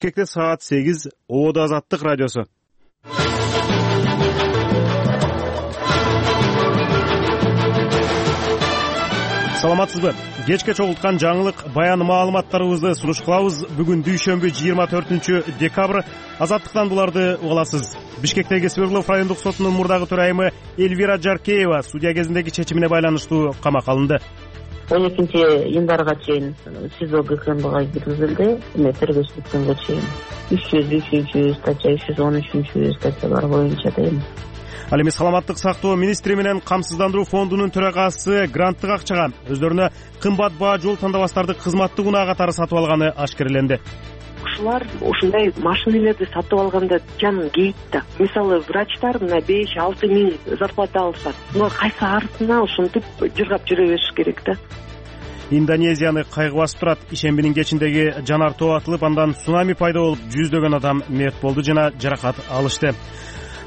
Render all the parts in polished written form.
Бишкекте саат 8, Ободо Азаттык радиосу. Саламатсызбы? Кечке чогулткан жаңылык баян маалыматтарыбызды сунуш кылабыз. Бүгүн дүйшөмбү 24-декабрь. Азаттыктан буларды угаласыз. Бишкектеги Свердлов райондук сотунун мурдагы төрайымы Эльвира Жаркеева судья кезиндеги чечимине байланыштуу камакка алынды. 12 январга чейин СИЗО ГКМБга киргизилди. Тергөөчүлүк күнгө чейин 303 статья, 313 статьялар боюнча дейм. Ал эми саламаттык сактоо министри менен камсыздандыруу фондунун төрагасы гранттык акчага өздөрүнө кымбат баа жол тандабастарды кызматтык унаа катары сатып алганы ашкереленди. Ушулар ушундай машиналерди сатып алганда жанын кейт да. Мисалы врачтар мына 5-6 миң зарплата алышат. Мына кайсы арысына ушинтип жыргап жүрө бериш керек да. Индонезияны кайгы басып турат. Ишембинин кечиндеги жанар тоо атылып, андан цунами пайда болуп, жүздөгөн адам мерт болду жана жаракат алышты.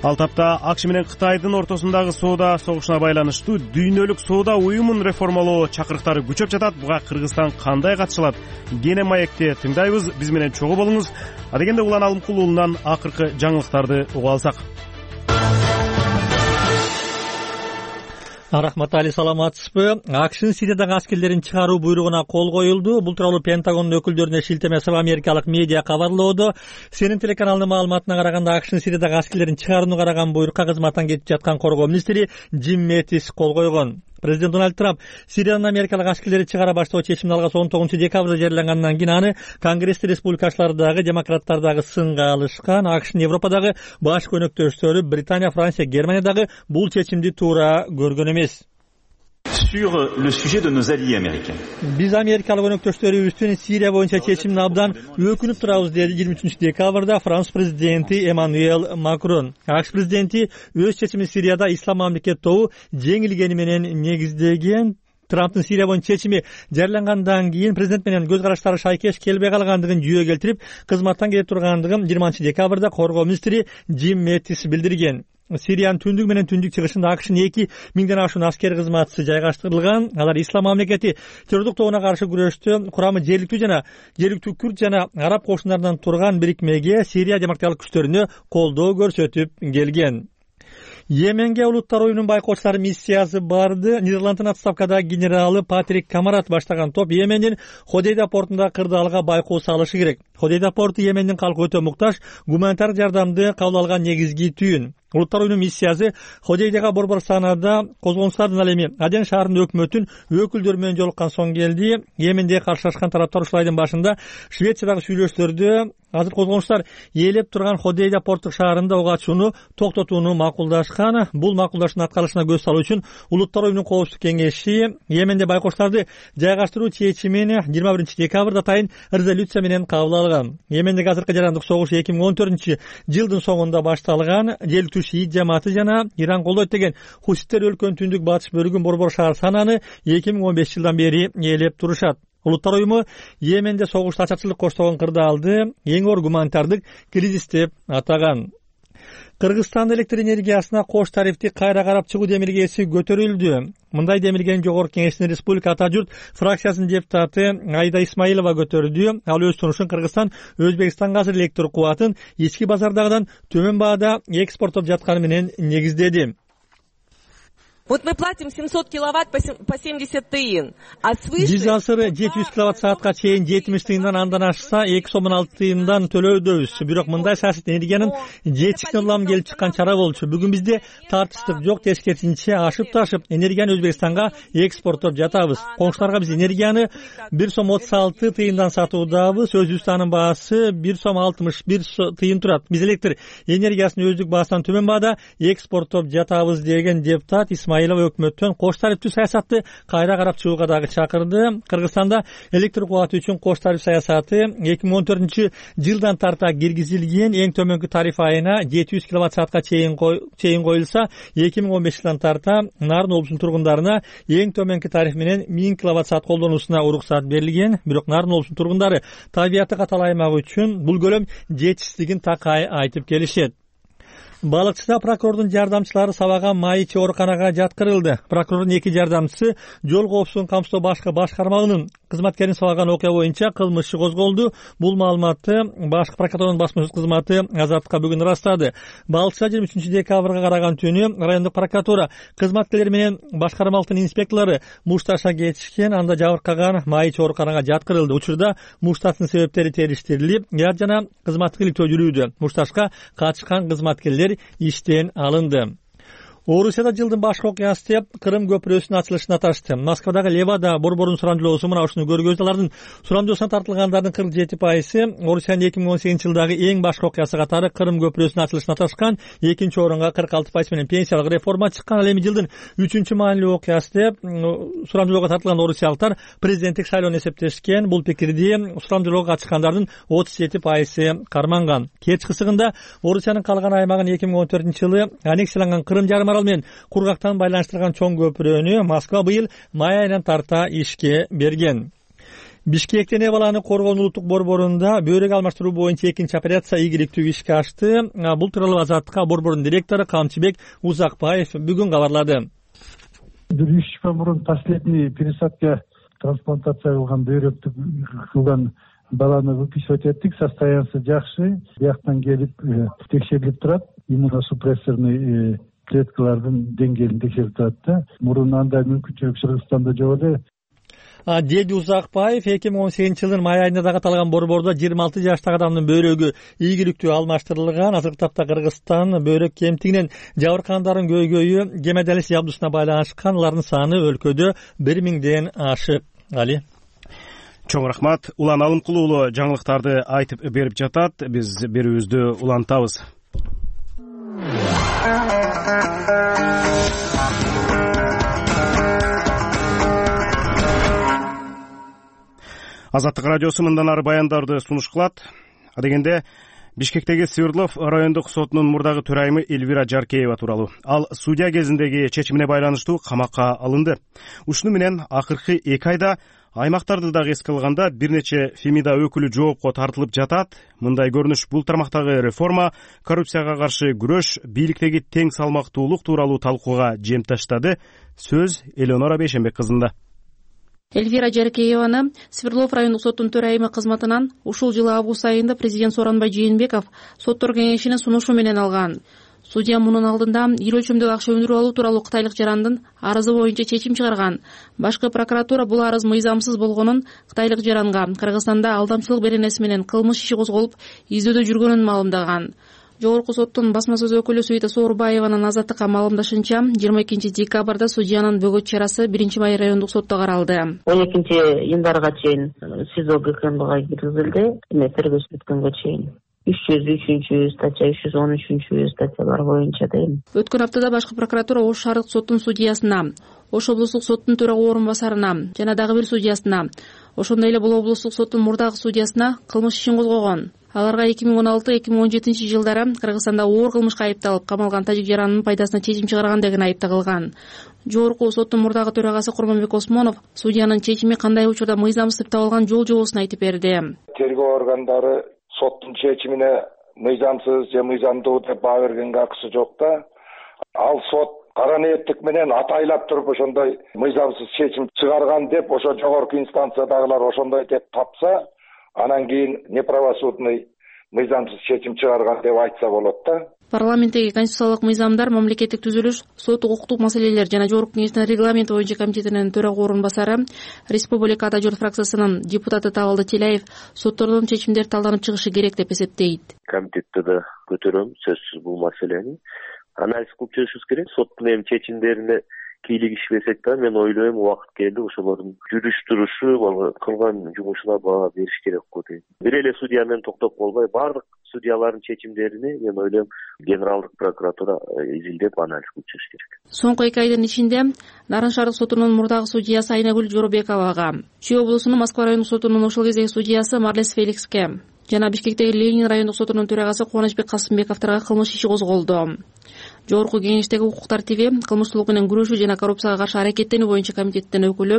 Ал тапта АКШ менен Кытайдын ортосундагы соода согушуна байланыштуу дүйнөлүк соода уюмун реформалоо чакырыктары күчөп жатат. Буга Кыргызстан кандай катыша алат? Кене маекте тыңдайбыз. Биз менен чогуу болуңуз. Адегенде Улан Алымкулуулунан акыркы жаңылыктарды угуп алсак. Рахмат Али, саламатсызбы? АКШнын Сириядагы аскерлерин чыгаруу буйругуна кол коюлду. Бул тууралуу Пентагондун өкүлдөрүнө шилтеме жасап америкалык медиа кабарлоодо. Сенин телеканалынын маалыматына караганда АКШнын Сириядагы аскерлерин чыгарууну караган буйрукка кызматтан кетип жаткан коргоо министри Джим Мэттис кол койгон. Президент Дональд Трамп Сириядан америкалык аскерлерди чыгара баштоо чечимин алгачы 19-декабрда жарыялангандан кийин аны Конгрессте республикачылар дагы демократтар дагы сынга алышкан. АКШнын Европадагы баш көнөктөштөрү Британия, Франция, Германия дагы бул чечимди туура көргөн эмес. Sur le sujet de nos alliés américains. Биз америкалык өнөктөштөрүбүздүн Сирия боюнча чечимине абдан өкүнүп турабыз, деди 23-декабрда Франц президенти Эммануэль Макрон. АКШ президенти өз чечимин Сирияда ислам мамлекет тобу жеңилгени менен негиздеген. Трамптын Сирия боюнча чечими жарыялангандан кийин президент менен көз караштары шайкеш келбей калгандыгын жүйө келтирип, кызматтан кетип тургандыгын 20-декабрда коргоо министри Джим Мэттис билдирген. Сириянын түндүк менен түндүк чыгышында АКШнын 2000ден ашуун аскер кызматчысы жайгаштырылган. Алар ислам мамлекети террордук тобуна каршы күрөштө курамы жергиликтүү күрд жана араб кошундарынан турган бирикмеге Сирия демократиялык күчтөрүнө колдоо көрсөтүп келген. Йеменге улуттар оюнунун байкоочулары миссиясы барды. Нидерланддын отставкадагы генералы Патрик Камарат баштаган топ Йемендин Ходейда портунда кырдаалга байкоо салышы керек. Ходейда порту Йемендин калкы өтө муктаж, гуманитар жардамды кабыл алган негизги түйүн. Улуттар оюнунун миссиясы Ходейдага борбор саанада козгонуштардын ал эми Аден шаарынын өкмөтүнүн өкүлдөрү менен жолуккан соң келди. Йеменде каршылашкан тараптар ушул айдын башында Швециядагы сүйлөшүүлөрдө азыр козгонуштар ээлеп турган Ходейда порттук шаарында ок ачууну токтотууну макулдашкан. Бул макулдашуунун аткарылышына көз салуу үчүн Улуттар оюнунун коопсуздук кеңеши Йеменде байкоочуларды жайгаштыруу чечимин 21-декабрда атайын резолюция менен кабыл алган. Йемендеги азыркы жарандык согуш 2014-жылдын соңунда башталган. Желтү шиит жамааты жана Иран колдойт деген хуситтер өлкөнүн түндүк батыш бөлүгүн борбор шаар сананы 2015-жылдан бери ээлеп турушат. Улуттар оюму Йеменде согушта ачарчылык коштогон кырдаалды эң оор гуманитардык кризис деп атаган. Кыргызстан электр энергиясына кош тарифти кайра карап чыгуу демилгеси көтөрүлдү. Мындай демилгени Жогорку Кеңештин Республика Ата журт фракциясынын депутаты Айда Исмаилова көтөрдү. Ал өз сунушун Кыргызстан Өзбекстанга азыр электр кубатын ички базардагыдан төмөн баада экспорттоп жатканы менен негиздеди. Вот мы платим 700 киловатт по 70 тыйын, а свыше... Биз азыр 700 киловатт-саатка чейин 70 тыйындан андан ашса 2,6 тыйындан төлөөдөбүз. Бирок мындай саясат энергиянын жетишине улам келип чыккан чара болчу. Бүгүн бизде тартыштык жок, тескерисинче ашып-ташып энергияны Өзбекстанга экспорттоп жатабыз. Коңшуларга биз энергияны 1,36 тыйындан сатуудабыз. Өзүбүздө анын баасы 1,61 тыйын турат. Биз электр энергиясын өздүк баасынан төмөн баада экспорттоп жатабыз деген депутат Исмаилова өкмөттөн кош тарифтүү саясатты кайра карап чыгууга дагы чакырды. Кыргызстанда электр кубаты үчүн кош тариф саясаты 2014-жылдан тарта киргизилген. Эң төмөнкү тариф айына 700 киловатт-саатка чейин коюлса, 2015-жылдан тарта Нарын облусунун тургундарына эң төмөнкү тариф менен 1000 киловатт-саат колдонуусуна уруксат берилген. Бирок Нарын облусунун тургундары табияты катал аймак үчүн бул көлөм жетишсиздигин такай айтып келишет. Балыкчыда прокурордун жардамчылары сабаган майчы ооруканага жаткырылды. Прокурордун 2 жардамчысы жол коопсуздугун камсыздоо башкы башкармалыгынын кызматкерин сабаган окуя боюнча кылмыш иши козголду. Бул маалыматты башкы прокуратуранын басма сөз кызматы Азаттыкка бүгүн ырастады. Балыкчыда 23 декабрга караган түнү райондук прокуратура кызматкерлери менен башкармалыктын инспекторлору Мушташка кетишкен, анда жабыркаган майчы ооруканага жаткырылды. Учурда Мушташтын себептери териштирилип, яр жана кызматтык иликтөө жүрүүдө. Мушташка катышкан кызматкерлер иштен алынды. Орусияда жылдын башкы окуясы деп Кырым көпүрөсүнүн ачылышына аташты. Москвадагы Левада борборунун сурамжылоосу мына ушуну көргөздү. Алардын сурамжылоосуна тартылгандардын 47% Орусиянын 2018-жылдагы эң башкы окуясы катары Кырым көпүрөсүнүн ачылышына аташкан. Экинчи орунга 46% менен пенсиялык реформа чыккан. Ал эми жылдын 3-маанилүү окуясы деп сурамжылоого тартылган орусиялыктар президенттик шайлоону эсептешкен. Бул пикирди сурамжылоого катышкандардын 37% карманган. Кеч кысыгында Орусиянын калган аймагын 2014-жылы аннексияланган Кырым жарым арал менен кургактан байланыштырган чоң көпүрөнү Москва быйыл май айынан тарта ишке берген. Бишкектен Эбаланы коргоонун улуттук борборунда бөйрөк алмаштыруу боюнча экинчи операция ийгиликтүү ишке ашты. Бул тууралуу Азаттыкка борбордун директору Камчыбек Узакбаев бүгүн кабарлады. 1-3 жыл мурун последний пересадка трансплантация кылган бөйрөктү кылган баланы выписывать эттик, состояниясы жакшы. Бияктан келип текшерилип турат, иммуносупрессорный клеткалардын деңгээлин текшерип турат да. Мурун андай мүмкүнчүлүк Кыргызстанда жок эле. Деди Узакбаев 2018-жылдын май айында да каталган борбордо 26 жаштагы адамдын бөйрөгү ийгиликтүү алмаштырылган. Азыркы тапта Кыргызстан бөйрөк кемтигинен жабыркагандардын көйгөйү гемодиализ жабдусуна байланышкан. Алардын саны өлкөдө 1000ден ашык. Али. Чоң рахмат. Улан Алымкулуу уулу жаңылыктарды айтып берип жатат. Биз берүүбүздү улантабыз. Азаттык радиосу мындан ары баяндарды сунуш кылат. Адегенде Бишкектеги Свердлов райондук сотунун мурдагы төрайымы Эльвира Жаркеева тууралуу. Ал судья кезиндеги чечимине байланыштуу камакка алынды. Ушуну менен акыркы 2 айда аймактарды дагы эске алганда бир нече Фемида өкүлү жоопко тартылып жатат. Мындай көрүнүш бул тармактагы реформа, коррупцияга каршы күрөш, бийликтеги тең салмактуулук тууралуу талкууга жем таштады. Сөз Элеонора Бейшенбек кызында. Эльвира Жаркееваны Свердлов райондук соттун төрайымы кызматынан ушул жылы август айында президент Сооронбай Жээнбеков соттор кеңешинин сунушу менен алган. Судья мунун алдында ир өлчөмдөгү акча өндүрүп алуу тууралуу кытайлык жарандын арызы боюнча чечим чыгарган. Башкы прокуратура бул арыз мыйзамсыз болгонун, кытайлык жаранга Кыргызстанда алдамчылык беренеси менен кылмыш иши козголуп, издөөдө жүргөнүн маалымдаган. Жогорку соттун басма сөз өкүлү Суйта Соорбаеванын Азаттыкка маалымдашынча, 22 декабрда судьянын бөгөт чарасы 1-май райондук сотто каралды. 12 январга чейин СИЗО ГКМБга киргизилди. Тергөөчүлүк күнгө чейин 303 статья, 313 статьялар боюнча дейм. Өткөн аптада башкы прокуратура Ош шаардык соттун судьясына, Ош облустук соттун төрагы орун басарына жана дагы бир судьясына, ошондой эле бул облустук соттун мурдагы судьясына кылмыш ишин козгогон. Аларга 2016-2017 жылдары Кыргызстанда оор кылмышка айыпталып камалган тажик жаранынын пайдасына чечим чыгарган деген айып тагылган. Жогорку соттун мурдагы төрагасы Курманбек Осмонов судьянын чечими кандай учурда мыйзамсыз деп табылган жол-жобосун айтып берди. Тергөө органдары соттун чечимине мыйзамсыз же мыйзамдуу деп баа бергенге акысы жок да. Ал сот кара ниеттик менен атайлап туруп ошондой мыйзамсыз чечим чыгарган деп ошо жогорку инстанциядагылар ошондой деп тапса, анан кийин неправосудный мыйзамсыз чечим чыгарган деп айтса болот да. Парламенттеги конституциялык мыйзамдар, мамлекеттик түзүлүш, сот укуктук маселелер жана жогорку кеңештин регламент боюнча комитетинин төрагы орун басары, Республика Ата журт фракциясынын депутаты Табалды Теляев соттордун чечимдери талданып чыгышы керек деп эсептейт. Комитетте да көтөрөм сөзсүз бул маселени. Анализ кылып чыгышыбыз керек. Соттун эми чечимдерине кийлигишпесек да, мен ойлойм убакыт келди ошолордун жүрүш турушу, кылган жумушуна баа бериш керек го дейм. Бир эле судья менен токтоп болбой, баардык судьялардын чечимдерине мен ойлойм Генералдык прокуратура изилдеп анализ кылып чыгыш керек. Соңку 2 айдын ичинде Нарын шаардык сотунун мурдагы судьясы Айнагүл Жоробековага, Чүй облусунун Москва райондук сотунун ошол кездеги судьясы Марлес Феликске жана Бишкектеги Ленин райондук сотунун төрагасы Кубанычбек Касымбековторго кылмыш иши козголду. Жогорку кеңештеги укук тартиби, кылмыштуулук менен күрөшүү жана коррупцияга каршы аракеттенүү боюнча комитеттин өкүлү,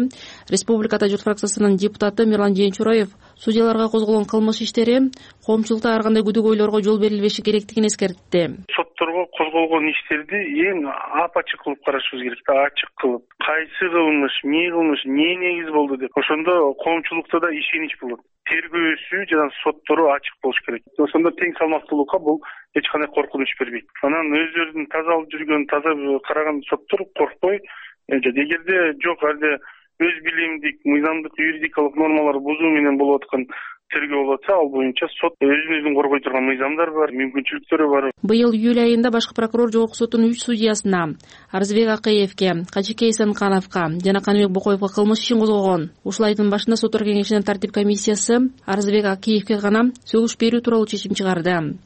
Республика журт фракциясынын депутаты Мирлан Жээнчуроев судьяларга козголгон кылмыш иштери коомчулукта ар кандай күдүк ойлорго жол берилбеши керектигин эскертти. Сот сотторго козголгон иштерди эң апачык кылып карашыбыз керек да, ачык кылып. Кайсы кылмыш, эмне негиз болду деп. Ошондо коомчулукта да ишенич болот. Тергөөсү жана соттору ачык болуш керек. Ошондо тең салмактуулукка бул эч кандай коркунуч бербейт. Анан өздөрүнүн таза алып жүргөн, таза караган соттор коркпой, эгерде жок алде өз билимдик, мыйзамдык, юридикалык нормаларды бузуу менен болуп аткан тергөө болот, ал боюнча сот өзүн коргой турган мыйзамдар бар, мүмкүнчүлүктөрү бар. Быйыл июль айында башкы прокурор жогорку соттун 3 судьясына Арзбек Акыевке, Кажыкей Эсенкановго жана Каныбек Бокоевго кылмыш ишин козгогон. Ушул айдын башында соттор кеңешинин тартип комиссиясы Арзбек Акыевке гана сөгүш берүү тууралуу чечим чыгарды.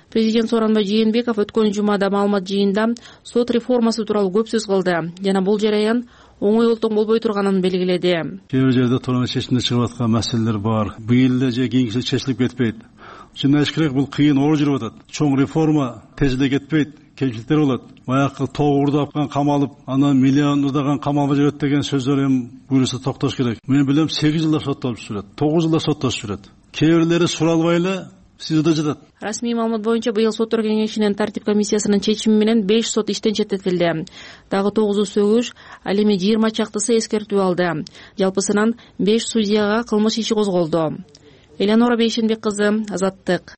Президент Сооронбай Жээнбеков өткөн жумада маалымат жыйында сот реформасы тууралуу көп сөз кылды жана бул жараян оңой олтоң болбой турганын белгиледи. Кээ бир жерде турган чечимде чыгып аткан маселелер бар. Быйыл эле же кийинки жылы чечилип кетпейт. Чын керек, бул кыйын оор жүрүп атат. Чоң реформа тезде кетпейт. Кемчиликтер болот. Баягы тоогурдап камалып, анан миллиондогон камалга жүрөт деген сөздөр эми буюрса токтош керек. Мен билем 8 жылда соттолуп жүрөт, 9 жылда соттолуп жүрөт. Кээ бирлери суралбай эле СИЗОдо жатат. Расмий маалымат боюнча быйыл соттор кеңешинин тартип комиссиясынын чечими менен 5 сот иштен четтетилди. Дагы 9 сөгүш, ал эми 20 чактысы эскертүү алды. Жалпысынан 5 судьяга кылмыш иши козголду. Элеонора Бейшенбек кызы, Азаттык.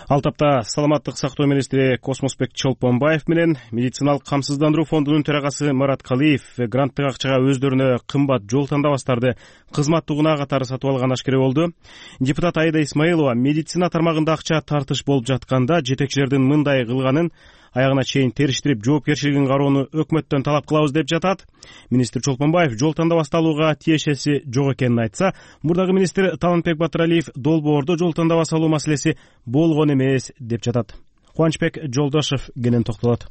Ал тапта саламаттык сактоо министри Космосбек Чолпонбаев менен медициналык камсыздандыруу фондунун төрагасы Марат Калиев гранттык акчага өздөрүнө кымбат жол тандабастарды кызматтык унаа катары сатып алган ашкере болду. Депутат Аида Исмаилова медицина тармагында акча тартыш болуп жатканда жетекчилердин мындай кылганын аягына чейин териштирип жоопкерчилигин кароону өкмөттөн талап кылабыз деп жатат. Министр Чолпонбаев жол тандабасты алууга тиешеси жок экенин айтса, мурдагы министр Талантбек Батыралиев долбоордо жол тандабасы алуу маселеси болгон эмес деп жатат. Кубанычбек Жолдошев кенен токтолот.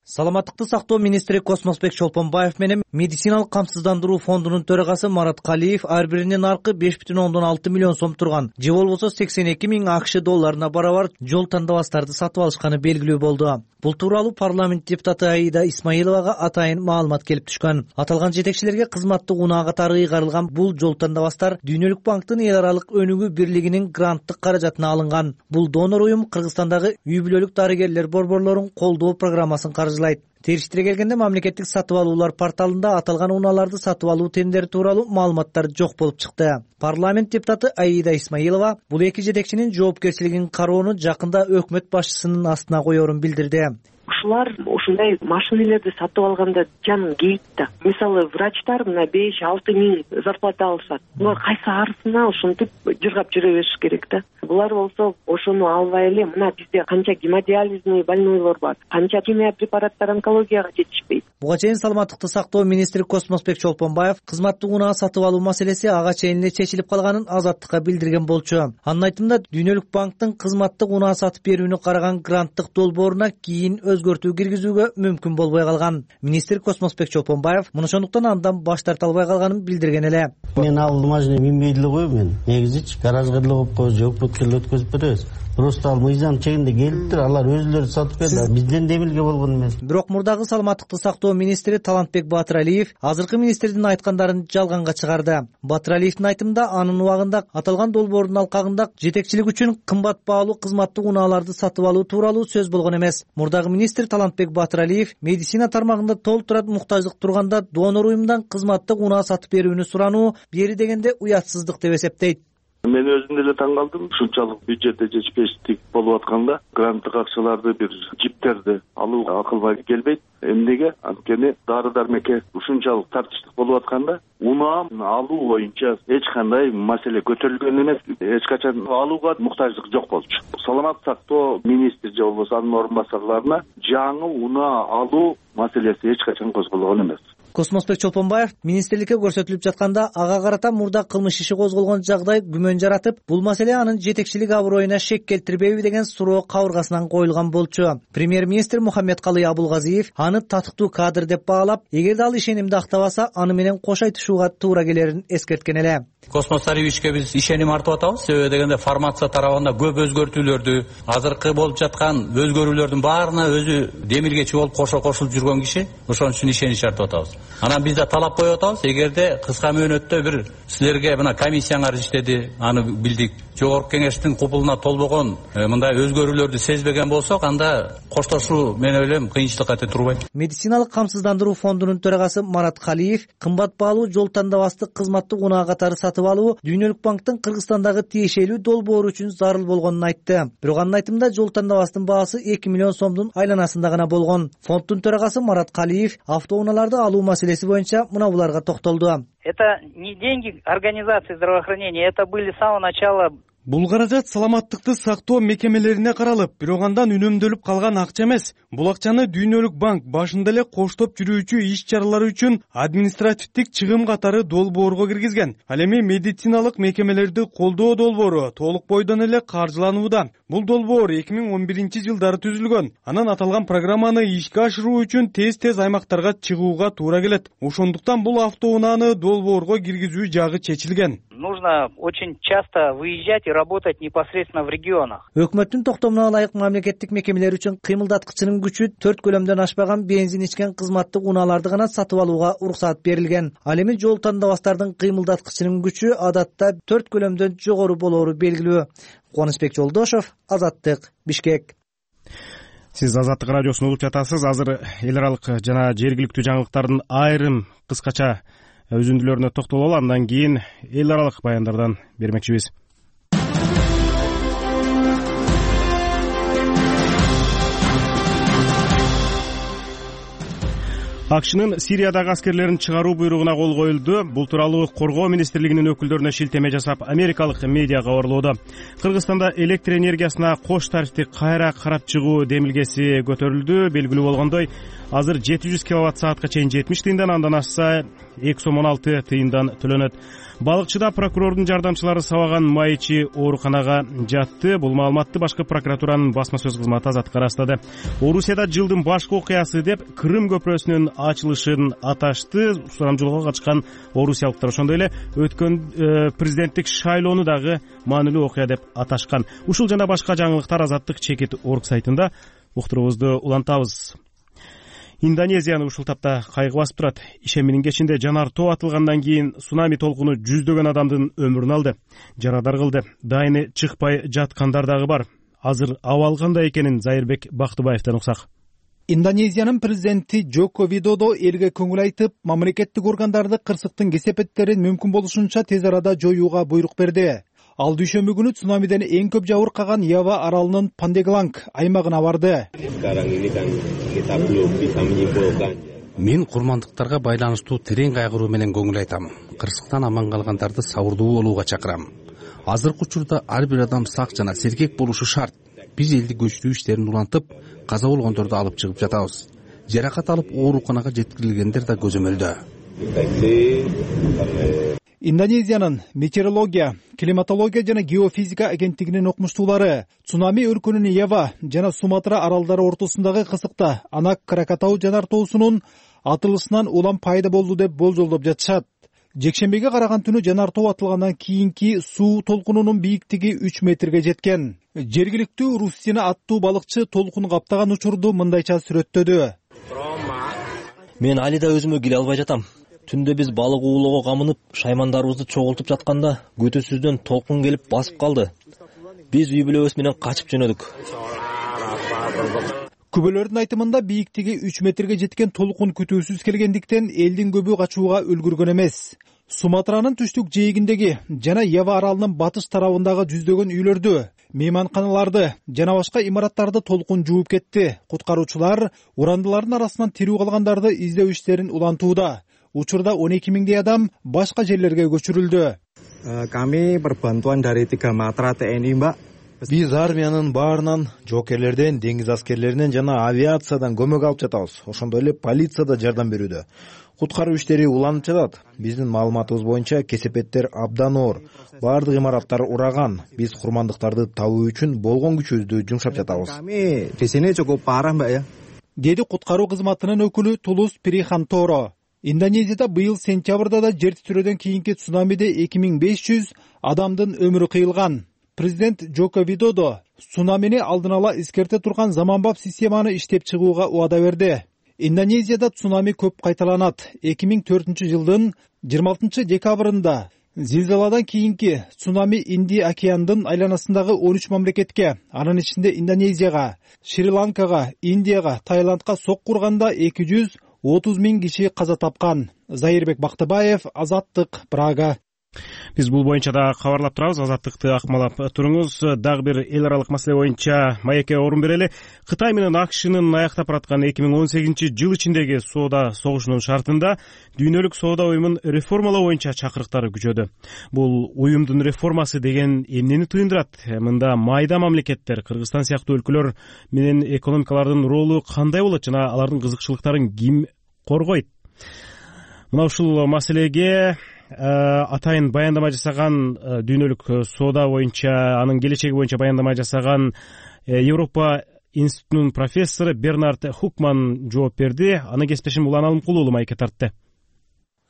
Саламаттыкты сактоо министри Космосбек Чолпонбаев менен медициналык камсыздандыруу фондунун төрагасы Марат Калиев ар биринин наркы 5,6 миллион сом турган, же болбосо 82 миң АКШ долларына барабар жол тандабастарды сатып алышканы белгилүү болду. Бул тууралуу парламент депутаты Аида Исмаиловага атайын маалымат келип түшкөн. Аталган жетекчилерге кызматтык унаа катары ыйгарылган бул жол тандабастар Дүйнөлүк банктын эл аралык өнүгүү бирлигинин гранттык каражатына алынган. Бул донор уюм Кыргызстандагы үй бүлөлүк дарыгерлер борборлорун колдоо программасын каржылайт. Териштире келгенде мамлекеттик сатып алуулар порталында аталган унааларды сатып алуу тендери тууралуу маалыматтар жок болуп чыкты. Парламент депутаты Аида Исмаилова бул эки жетекчинин жоопкерчилигин кароону жакында өкмөт башчысынын астына коерун билдирди. Ушулар ушундай машинелерди сатып алганда жанын кейт да. Мисалы врачтар мына 5-6 миң зарплата алышат. Булар кайсы арысына ушинтип жыргап жүрө бериш керек да. Булар болсо ошону албай эле мына бизде канча гемодиализный больнойлор бар, канча химия препараттар онкологияга жетишпейт. Буга чейин саламаттыкты сактоо министри Космосбек Чолпонбаев кызматтык унаа сатып алуу маселеси ага чейин эле чечилип калганын Азаттыкка билдирген болчу. Анын айтымында Дүйнөлүк банктын кызматтык унаа сатып берүүнү караган гранттык долбооруна кийин өзгөртүү киргизүүгө мүмкүн болбой калган. Министр Космосбек Чолпонбаев ошондуктан андан баш тарта албай калганын билдирген эле. Мен ал машина минбейт эле коем, негизичи гаражга эле коюп коебуз, өкмөткө эле өткөзүп беребиз. Просто ал мыйзам чегинде келиптир, алар өзүлөрү сатып берди, бизден демилге болгон эмес. Бирок мурдагы саламаттыкты сактоо министри Талантбек Батыралиев азыркы министрдин айткандарын жалганга чыгарды. Батыралиевдин айтымында анын убагында аталган долбоордун алкагында жетекчилик үчүн кымбат баалуу кызматтык унааларды сатып алуу тууралуу сөз болгон эмес. Мурдагы министр Талантбек Батыралиев медицина тармагында толтурат муктаждык турганда донор уюмдан кызматтык унаа сатып берүүнү сурануу бери дегенде уятсыздык деп эсептейт. Мен өзүм деле таң калдым. Ушунчалык бюджетте жетишпештик болуп атканда гранттык акчаларды бир жиптерди алуу акылга келбейт. Эмнеге? Анткени дары дармекке ушунчалык тартыштык болуп атканда унаа алуу боюнча эч кандай маселе көтөрүлгөн эмес. Эч качан алууга муктаждык жок болчу. Саламат сактоо министри же болбосо анын орун басарларына жаңы унаа алуу маселеси эч качан козголгон эмес. Космосбек Чолпонбаев министрликке көрсөтүлүп жатканда ага карата мурда кылмыш иши козголгон жагдай күмөн жаратып, бул маселе анын жетекчилик аброюна шек келтирбейби деген суроо кабыргасынан коюлган болчу. Премьер-министр Мухаммедкалый Абулгазиев аны татыктуу кадр деп баалап, эгерде ал ишенимди актабаса, аны менен кош айтышууга туура келерин эскерткен эле. Космос Царевичке биз ишеним артып атабыз. Себеби дегенде формация тарабында көп өзгөртүүлөрдү, азыркы болуп жаткан өзгөрүүлөрдүн баарына өзү демилгечи болуп кошулуп жүргөн киши. Ошон үчүн ишенич артып атабыз. Анан биз да талап коюп атабыз, эгерде кыска мөөнөттө бир силерге мына комиссияңар иштеди, аны билдик. Жогорку кеңештин купулуна толбогон мындай өзгөрүүлөрдү сезбеген болсок, анда коштошуу мен ойлойм кыйынчылык кете турбайт. Медициналык камсыздандыруу фондунун төрагасы Марат Калиев кымбат баалуу жол тандабастык кызматтык унаа катары сатып алуу Дүйнөлүк банктын Кыргызстандагы тиешелүү долбоору үчүн зарыл болгонун айтты. Бирок анын айтымында жол тандабастын баасы 2 миллион сомдун айланасында гана болгон. Фонддун төрагасы Марат Калиев автоунааларды алуу маселеси боюнча мына буларга токтолду. Это не деньги организации здравоохранения, это были с самого начала. Бул каражат саламаттыкты сактоо мекемелерине каралып, бирок андан үнөмдөлүп калган акча эмес. Бул акчаны Дүйнөлүк банк башында эле коштоп жүрүүчү иш-чаралар үчүн административдик чыгым катары долбоорго киргизген. Ал эми медициналык мекемелерди колдоо долбоору толук бойдон эле каржыланууда. Бул долбоор 2011-жылдары түзүлгөн. Анан аталган программаны ишке ашыруу үчүн тез аймактарга чыгууга туура келет. Ошондуктан бул автоунааны долбоорго киргизүү жагы чечилген. Нужно очень часто выезжать и работать непосредственно в регионах. Өкмөттүн токтомуна ылайык мамлекеттик мекемелер үчүн кыймылдаткычынын күчү 4 көлөмдөн ашпаган бензин ичкен кызматтык унааларды гана сатып алууга уруксат берилген. Ал эми жол тандабастардын кыймылдаткычынын күчү адатта 4 көлөмдөн жогору болоору белгилүү. Кубанычбек Жолдошов, Азаттык, Бишкек. Сиз Азаттык радиосун угуп жатасыз. Азыр эл аралык жана жергиликтүү жаңылыктардын айрым кыскача үзүндүлөрүнө токтололу, андан кийин эл аралык баяндардан бермекчибиз. АКШнын Сириядагы аскерлерин чыгаруу буйругуна кол коюлду. Бул тууралуу Коргоо министрлигинин өкүлдөрүнө шилтеме жасап, америкалык медиа кабарлоодо. Кыргызстанда электр энергиясына кош тарифти кайра карап чыгуу демилгеси көтөрүлдү. Белгилүү болгондой, азыр 700 киловатт саатка чейин 70 тыйындан, андан ашса 2 сом 16 тыйындан төлөнөт. Балыкчыда прокурордун жардамчылары сабаган майчы ооруканага жатты. Бул маалыматты башкы прокуратуранын басма сөз кызматы Азаттыкка ырастады. Орусияда жылдын башкы окуясы деп Крым көпүрөсүнүн ачылышын аташты. Сурамжылоого катышкан орусиялыктар ошондой эле өткөн президенттик шайлоону дагы маанилүү окуя деп аташкан. Ушул жана башка жаңылыктар Азаттык чекит орг сайтында уктуруубузду улантабыз. Индонезияны ушул тапта кайгы басып турат. Ишембинин кечинде жанар тоо атылгандан кийин цунами толкуну жүздөгөн адамдын өмүрүн алды, жарадар кылды. Дайыны чыкпай жаткандар дагы бар. Азыр абал кандай экенин Зайырбек Бактыбаевден уксак. Индонезиянын президенти Джоко Видодо элге көңүл айтып, мамлекеттик органдарды кырсыктын кесепеттерин мүмкүн болушунча тез арада жоюуга буйрук берди. Ал дүйшөмбү күнү цунамиден эң көп жабыркаган Ява аралынын Пандегланг аймагына барды. Мен курмандыктарга байланыштуу терең кайгыруу менен көңүл айтам. Кырсыктан аман калгандарды сабырдуу болууга чакырам. Азыркы учурда ар бир адам сак жана сергек болушу шарт. Биз элди көчүрүү иштерин улантып, каза болгондорду алып чыгып жатабыз. Жаракат алып ооруканага жеткирилгендер да көзөмөлдө. Индонезиянын метеорология, климатология жана геофизика агенттигинин окумуштуулары цунами өлкөнүн Ява жана Суматра аралдары ортосундагы кысыкта Анак Кракатау жанар тоосунун атылышынан улам пайда болду деп болжолдоп жатышат. Жекшембиге караган түнү жанар тоо атылгандан кийинки суу толкунунун бийиктиги 3 метрге жеткен. Жергиликтүү Руссина аттуу балыкчы толкун каптаган учурду мындайча сүрөттөдү. Мен али да өзүмө келе албай жатам. Түндө биз балык уулоого камынып, шаймандарыбызды чогултуп жатканда көтөсүздөн толкун келип басып калды. Биз үй бүлөбүз менен качып жөнөдүк. Күбөлөрдүн айтымында бийиктиги 3 метрге жеткен толкун күтүүсүз келгендиктен элдин көбү качууга үлгүргөн эмес. Суматранын түштүк жээгиндеги жана Ява аралынын батыш тарабындагы жүздөгөн үйлөрдү, мейманканаларды жана башка имараттарды толкун жууп кетти. Куткаруучулар урандылардын арасынан тирүү калгандарды издөө иштерин улантууда. Учурда 12 миңдей адам башка жерлерге көчүрүлдү. Kami berbantuan dari 3 matra TNI, Mbak. Биз армиянын баарынан, жокерлерден, деңиз аскерлеринен жана авиациядан көмөк алып жатабыз. Ошондой эле полиция да жардам берүүдө. Куткаруу иштери уланып жатат. Биздин маалыматыбыз боюнча кесепеттер абдан оор. Баардык имараттар ураган. Биз курмандыктарды табуу үчүн болгон күчүбүздү жумшап жатабыз. Kami di sini cukup parah, Mbak ya. Деди куткаруу кызматынын өкүлү Тулус Приханторо. Индонезияда быйыл сентябрда да жер титирөөдөн кийинки цунамиде 2500 адамдын өмүрү кыйылган. Президент Джоко Видодо цунамини алдын ала эскерте турган заманбап системаны иштеп чыгууга убада берди. Индонезияда цунами көп кайталанат. 2004-жылдын 26 декабрында зилзаладан кийинки цунами Индия океандын айланасындагы 13 мамлекетке, анын ичинде Индонезияга, Шри-Ланкага, Индияга, Таиландка сокку урганда 230 000 киши каза тапкан. Зайырбек Бактыбаев, Азаттык, Прага. Биз бул боюнча да кабарлап турабыз. Азаттыкты акмалап туруңуз. Дагы бир эл аралык маселе боюнча маекке орун берели. Кытай менен АКШнын аяктап бараткан 2018-жыл ичиндеги соода согушунун шартында дүйнөлүк соода уюмун реформалоо боюнча чакырыктары күчөдү. Бул уюмдун реформасы деген эмнени түйүндүрат? Мында майда мамлекеттер, Кыргызстан сыяктуу өлкөлөр менен экономикалардын ролу кандай болот жана алардын кызыкчылыктарын ким коргойт? Мына ушул маселеге атайын баяндама жасаган дүйнөлүк соода боюнча, анын келечеги боюнча баяндама жасаган Европа институтунун профессору Бернард Хукман жооп берди. Анын кесиптешим Улан Алымкулуу маекке тартты.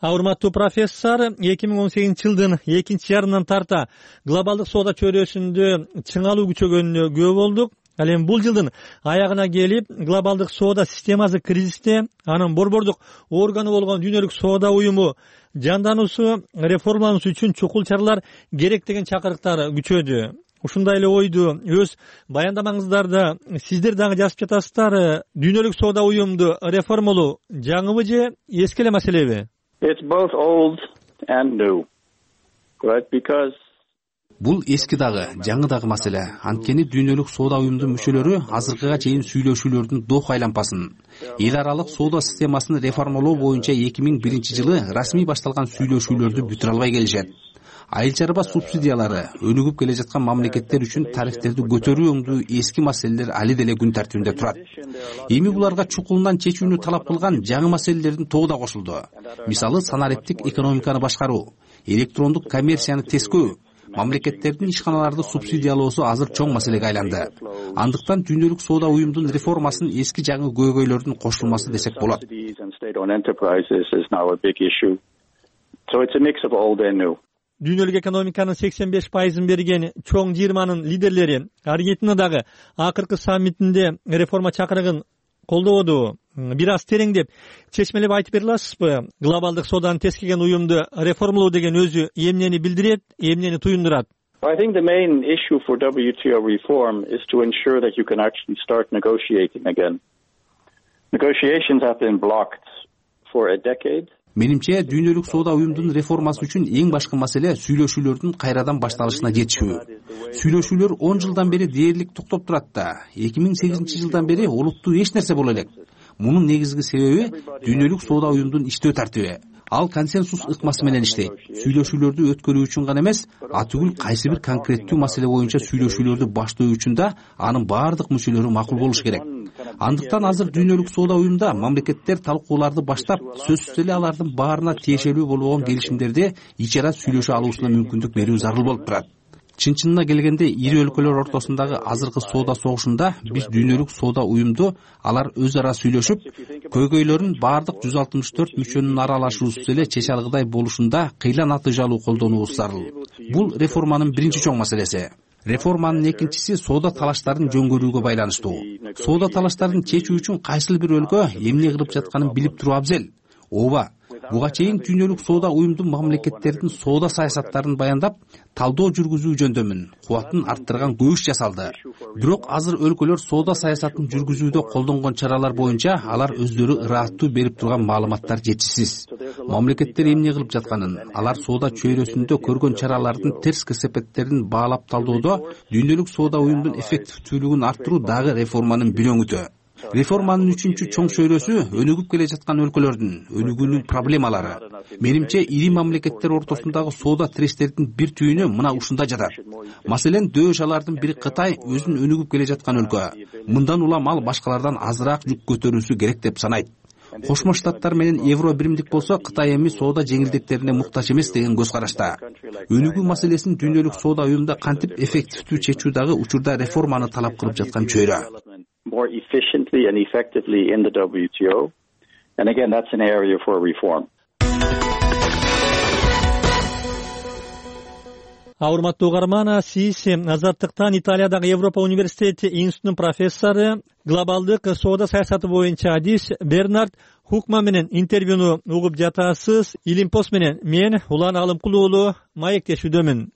Урматтуу профессор, 2018-жылдын экинчи жарымынан тарта глобалдык соода чөйрөсүндө чыңалуу күчөгөнүнө күбө болдук. Ал эми бул жылдын аягына келип, глобалдык соода системасы кризисте, анын борбордук органы болгон дүйнөлүк соода уюму жандануусу, реформалануусу үчүн чукул чаралар керек деген чакырыктар күчөдү. Ушундай эле ойду өз баяндамаңыздарда сиздер дагы жазып жатасыздар. Дүйнөлүк соода уюмду реформалоо жаңыбы же эски эле маселеби? It's both old and new. Right? Because бул эски дагы, жаңы дагы маселе. Анткени дүйнөлүк соода уюмдун мүчөлөрү азыркыга чейин сүйлөшүүлөрдүн Доха айланпасын, эл аралык соода системасын реформалоо боюнча 2001-жылы расмий башталган сүйлөшүүлөрдү бүтүрө албай келишет. Айыл чарба субсидиялары, өнүгүп келе жаткан мамлекеттер үчүн тарифтерди көтөрүү өңдүү эски маселелер али деле күн тартибинде турат. Эми буларга чукулунан чечүүнү талап кылган жаңы маселелердин тобу да кошулду. Мисалы, санариптик экономиканы башкаруу, электрондук коммерцияны тескөө, мамлекеттердин ишканаларды субсидиялоосу азыр чоң маселеге айланды. Андыктан дүйнөлүк соода уюмдун реформасын эски жаңы көйгөйлөрдүн кошулмасы десек болот. Дүйнөлүк экономиканын 85% берген чоң 20-нын лидерлери Аргентинадагы акыркы саммитинде реформа чакырыгын колдоду. Бир аз тереңдеп, чечмелеп айтып бере аласызбы? Глобалдык сооданы тескеген уюмду реформалоо деген өзү эмнени билдирет, эмнени туюндурат? I think the main issue for WTO reform is to ensure that you can actually start negotiating again. Negotiations have been blocked for a decade. Менимче, дүйнөлүк соода уюмдун реформасы үчүн эң башкы маселе сүйлөшүүлөрдүн кайрадан башталышына жетишүү. Сүйлөшүүлөр 10 жылдан бери дээрлик токтоп турат да, 2008-жылдан бери олуттуу эч нерсе боло элек. Мунун негизги себеби дүйнөлүк соода уюмдун иштөө тартиби. Ал консенсус ыкмасы менен иштейт. Сүйлөшүүлөрдү өткөрүү үчүн гана эмес, атүгүл кайсы бир конкреттүү маселе боюнча сүйлөшүүлөрдү баштоо үчүн да анын баардык мүчөлөрү макул болуш керек. Андыктан азыр дүйнөлүк соода уюмда мамлекеттер талкууларды баштап, сөзсүз эле алардын баарына тиешелүү болгон келишимдерди ичара сүйлөшө алуусуна мүмкүндүк берүү зарыл болуп турат. Чын-чынына келгенде ири өлкөлөр ортосундагы азыркы соода согушунда биз дүйнөлүк соода уюмду алар өз ара сүйлөшүп, көйгөйлөрүн баардык 164 мүчөнүн аралашуусуз эле чече алгыдай болушунда кыйла натыйжалуу колдонуубуз зарыл. Бул реформанын биринчи чоң маселеси. Реформанын экинчиси соода талаштарын жөнгөрүүгө байланыштуу. Соода талаштарын чечүү үчүн кайсыл бир өлкө эмне кылып жатканын билип туруу абзел. Ооба, буга чейин дүйнөлүк соода уюмдун мамлекеттердин соода саясаттарын баяндап, талдоо жүргүзүү жөндөмүн, кубатын арттырган көп иш жасалды. Бирок азыр өлкөлөр соода саясатын жүргүзүүдө колдонгон чаралар боюнча алар өздөрү ырааттуу берип турган маалыматтар жетишсиз. Мамлекеттер эмне кылып жатканын, алар соода чөйрөсүндө көргөн чаралардын терс кесепеттерин баалап талдоодо дүйнөлүк соода уюмдун эффективдүүлүгүн арттыруу дагы реформанын бир өңүтү. Реформанын үчүнчү чоң чөйрөсү өнүгүп келе жаткан өлкөлөрдүн өнүгүүнүн проблемалары. Менимче, ири мамлекеттер ортосундагы соода тирештердин бир түйүнү мына ушунда жатат. Маселен, дөш алардын бири Кытай өзүн өнүгүп келе жаткан өлкө. Мындан улам ал башкалардан азыраак жүк көтөрүүсү керек деп санайт. Кошмо Штаттар менен евро биримдик болсо, Кытай эми соода жеңилдиктерине муктаж эмес деген көз карашта. Өнүгүү маселесин дүйнөлүк соода уюмда кантип эффективдүү чечүү дагы учурда реформаны талап кылып жаткан чөйрө. More efficiently and effectively in the WTO. And again, that's an area for reform. Урматтуу угарман, сиз Азаттыктан Италиядагы Европа университети институтунун профессору, глобалдык соода саясаты боюнча адис Бернард Хукман менен интервьюну угуп жатасыз. Илимпост менен мен Улан Алымкул уулу маектешүүдөмүн.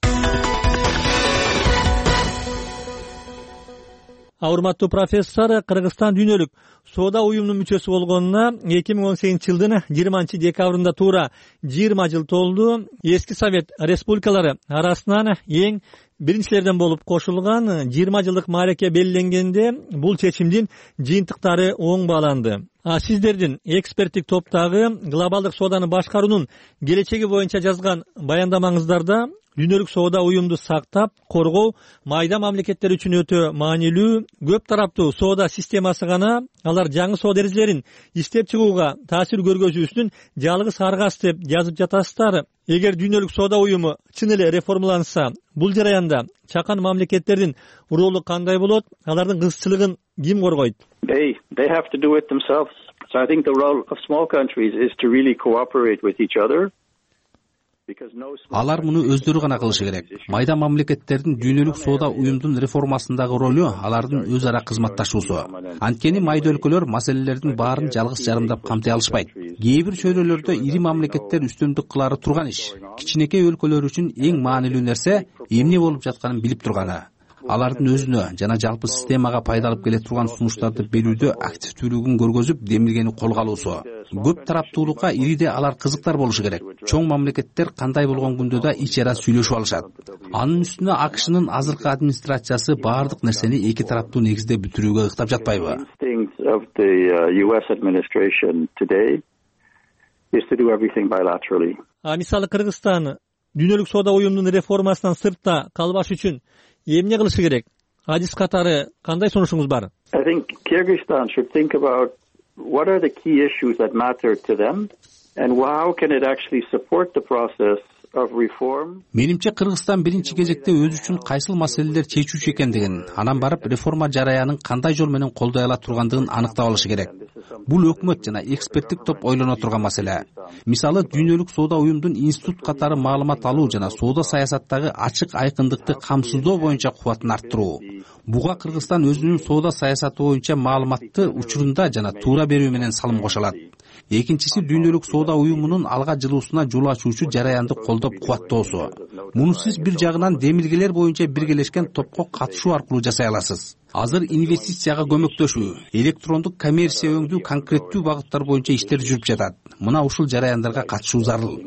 Урматтуу профессор, Кыргызстан дүйнөлүк соода уюмунун мүчөсү болгонуна 2018-жылдын 20-декабрында туура 20 жыл толду. Эски Совет республикалары арасынан эң биринчилерден болуп кошулган 20 жылдык маареке белгиленгенде бул чечимдин жыйынтыктары оң бааланды. Сиздердин эксперттик топтогу глобалдык сооданы башкаруунун келечеги боюнча жазган баяндамаңыздарда дүйнөлүк соода уюмду сактап, коргоо майда мамлекеттер үчүн өтө маанилүү. Көп тараптуу соода системасы гана алар жаңы соода эрежелерин иштеп чыгууга таасир көргөзүүсүнүн жалгыз аргасы деп жазып жатасыздар. Эгер дүйнөлүк соода уюму чын эле реформаланса, бул жараянда чакан мамлекеттердин ролу кандай болот? Алардын кызыкчылыгын ким коргойт? They have to do it themselves. So I think the role of small countries is to really cooperate with each other. Алар муну өздөрү гана кылышы керек. Майда мамлекеттердин дүйнөлүк соода уюмдун реформасындагы ролу алардын өз ара кызматташуусу. Анткени майда өлкөлөр маселелердин баарын жалгыз жарымдап камтый алышпайт. Кээ бир чөйрөлөрдө ири мамлекеттер үстөмдүк кылары турган иш. Кичинекей өлкөлөр үчүн эң маанилүү нерсе эмне болуп жатканын билип турганы. Алардын өзүнө жана жалпы системага пайда алып келе турган сунуштарды берүүдө активдүүлүгүн көргөзүп, демилгени колго алуусу. Көп тараптуулукка ириде алар кызыктар болушу керек. Чоң мамлекеттер кандай болгон күндө да ич ара сүйлөшүп алышат. Анын үстүнө АКШнын азыркы администрациясы баардык нерсени эки тараптуу негизде бүтүрүүгө ыктап жатпайбы? Мисалы Кыргызстан дүйнөлүк соода уюмунун реформасынан сыртта калбаш үчүн эмне кылышы керек? Адис катары кандай сунушуңуз бар? I think Kyrgyzstan should think about what are the key issues that matter to them and how can it actually support the process of reform. Менимче Кыргызстан биринчи кезекте өзү үчүн кайсыл маселелер чечүүчү экендигин, анан барып реформа жараянын кандай жол менен колдой ала тургандыгын аныктап алышы керек. Бул өкмөт жана эксперттик топ ойлоно турган маселе. Мисалы, дүйнөлүк соода уюмдун институт катары маалымат алуу жана соода саясаттагы ачык айкындыкты камсыздоо боюнча кубатын арттыруу. Буга Кыргызстан өзүнүн соода саясаты боюнча маалыматты учурунда жана туура берүү менен салым кошо алат. Экинчиси дүйнөлүк соода уюмунун алга жылуусуна жол ачуучу жараянды колдоп кубаттоосу. Муну сиз бир жагынан демилгелер боюнча биргелешкен топко катышуу аркылуу жасай аласыз. Азыр инвестицияга көмөктөшүү, электрондук коммерция өңдүү конкреттүү багыттар боюнча иштер жүрүп жатат. Мына ушул жараяндарга катышуу зарыл.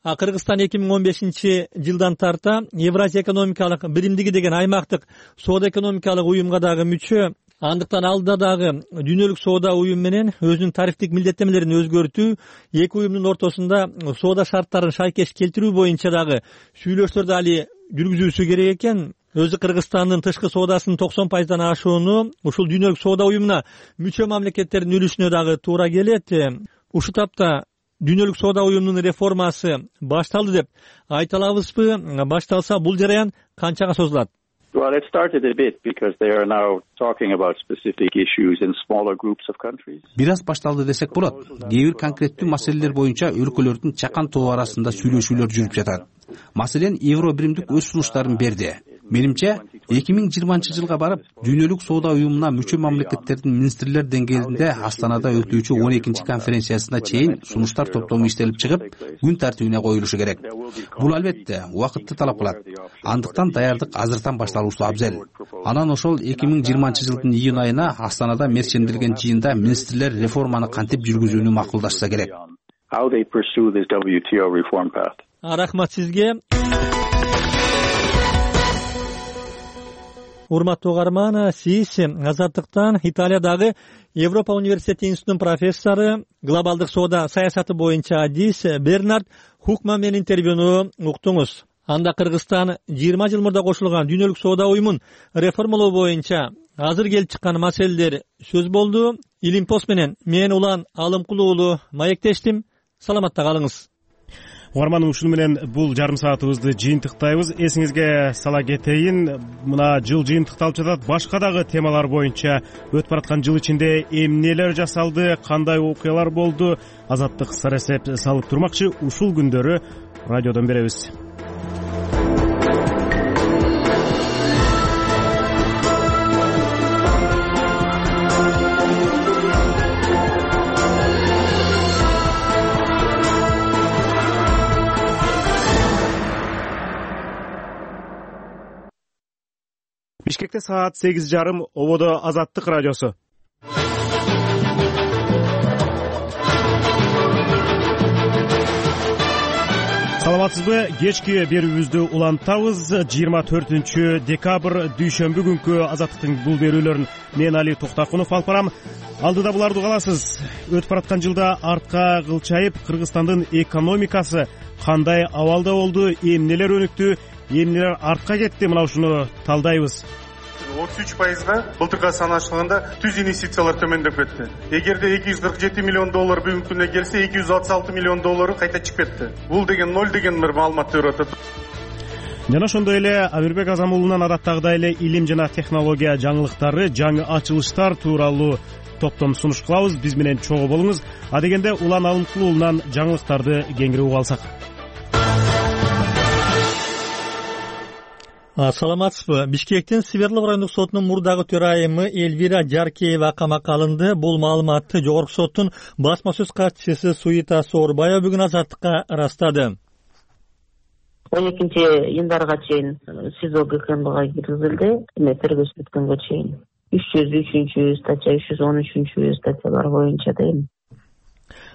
Кыргызстан 2015-жылдан тарта Евразия экономикалык биримдиги деген аймактык соода экономикалык уюмга дагы мүчө. Андыктан алда дагы дүйнөлүк соода уюму менен өзүнүн тарифтик милдеттемелерин өзгөртүү, эки уюмдун ортосунда соода шарттарын шайкеш келтирүү боюнча дагы сүйлөшүүлөрдү али жүргүзүүсү керек экен. Өзү Кыргызстандын тышкы соодасынын 90%дан ашууну ушул дүйнөлүк соода уюмуна мүчө мамлекеттердин үлүшүнө дагы туура келет. Ушул тапта дүйнөлүк соода уюмунун реформасы башталды деп айта алабызбы? Башталса бул жараян канчага созулат? Well, it started a bit because they are now talking about specific issues in smaller groups of countries. Бир аз башталды десек болот. Кээ бир конкреттүү маселелер боюнча өлкөлөрдүн чакан тобу арасында сүйлөшүүлөр жүрүп жатат. Маселен, Евро биримдик өз сунуштарын берди. Менимче, 2020-жылга барып, дүйнөлүк соода уюмуна мүчө мамлекеттердин министрлер деңгээлинде Астанада өтүүчү 12-чи конференциясына чейин сунуштар топтому иштелип чыгып, күн тартибине коюлушу керек. Бул албетте убакытты талап кылат. Андыктан даярдык азыртан башталуусу абзел. Анан ошол 2020-жылдын июнь айына Астанада мерченделген жыйында министрлер реформаны кантип жүргүзүүнү макулдашса керек. How they pursue this WTO reform path. Рахмат сизге. Урматтуу угарман, сиз Азаттыктан Италиядагы Европа университети институтунун профессору, глобалдык соода саясаты боюнча адис Бернард Хукман менен интервьюну уктуңуз. Анда Кыргызстан 20 жыл мурда кошулган дүйнөлүк соода уюмун реформалоо боюнча азыр келип чыккан маселелер сөз болду. Илимпост менен мен Улан Алымкул уулу маектештим. Саламатта калыңыз. угарманым, ушуну менен бул жарым саатыбызды жыйынтыктайбыз. Эсиңизге сала кетейин, мына жыл жыйынтыкталып жатат. Башка дагы темалар боюнча өтүп бараткан жыл ичинде эмнелер жасалды, кандай окуялар болду, Азаттык сарасеп салып турмакчы. Ушул күндөрү радиодон беребиз. Бишкекте саат 8:30, ободо Азаттык радиосу. Саламатсызбы? Кечки берүүбүздү улантабыз. 24 декабрь дүйшөмбү күнкү Азаттыктын бул берүүлөрүн мен Али Токтакунов алып барам. Алдыда буларды угаласыз. Өтүп бараткан жылда артка кылчайып, Кыргызстандын экономикасы кандай абалда болду, эмнелер өнүктү, эмнелер артка кетти, мына ушуну талдайбыз. 33%-га былтырга санаштырганда түз инвестициялар төмөндөп кетти. Эгерде 247 миллион доллар бүгүнкү күндө келсе, 266 миллион доллары кайта чыгып кетти. Бул деген 0 деген бир маалымат берип атат. Жана ошондой эле Амирбек Азамулунан адаттагыдай эле илим жана технология жаңылыктары, жаңы ачылыштар тууралуу топтом сунуш кылабыз. Биз менен чогуу болуңуз. Адегенде Улан Алымкулуулунан жаңылыктарды кеңири угуп алсак. Саламатсызбы? Бишкектин Свердлов райондук сотунун мурдагы төрайымы Эльвира Жаркеева камакка алынды. Бул маалыматты Жогорку соттун басма сөз катчысы Суита Соорбаева бүгүн Азаттыкка ырастады. 12-январга чейин СИЗО ГКМБга киргизилди. Тергөөсү бүткөнгө чейин 303 статья, 313 статьялар боюнча дейм.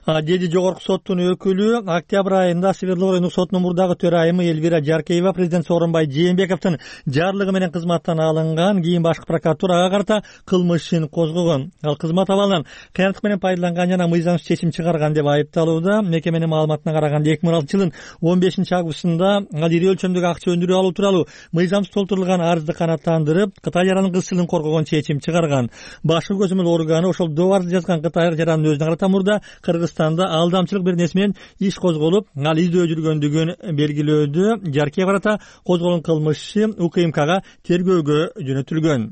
Деди Жогорку соттун өкүлү. Октябрь айында Свердлов райондук сотунун мурдагы төрайымы Эльвира Жаркеева президент Сооронбай Жээнбековдун жарлыгы менен кызматтан алынган. Кийин башкы прокуратура ага карата кылмыш ишин козгогон. Ал кызмат абалынан кыянаттык менен пайдаланган жана мыйзамсыз чечим чыгарган деп айыпталууда. Мекеменин маалыматына караганда 2006-жылдын 15-августунда ал ири өлчөмдөгү акча өндүрүп алуу тууралуу мыйзамсыз толтурулган арызды канааттандырып, Кытай жаранын кыз тилин коргогон чечим чыгарган. Башкы көзөмөл органы ошол добарды жазган Кытай жаранын өзүнө карата мурда Кыргызстанда алдамчылык бир нерсе менен иш козголуп, ал издөө жүргөндүгүн белгилөөдө. Жаркеева карата козголгон кылмыш иши УКМКга тергөөгө жөнөтүлгөн.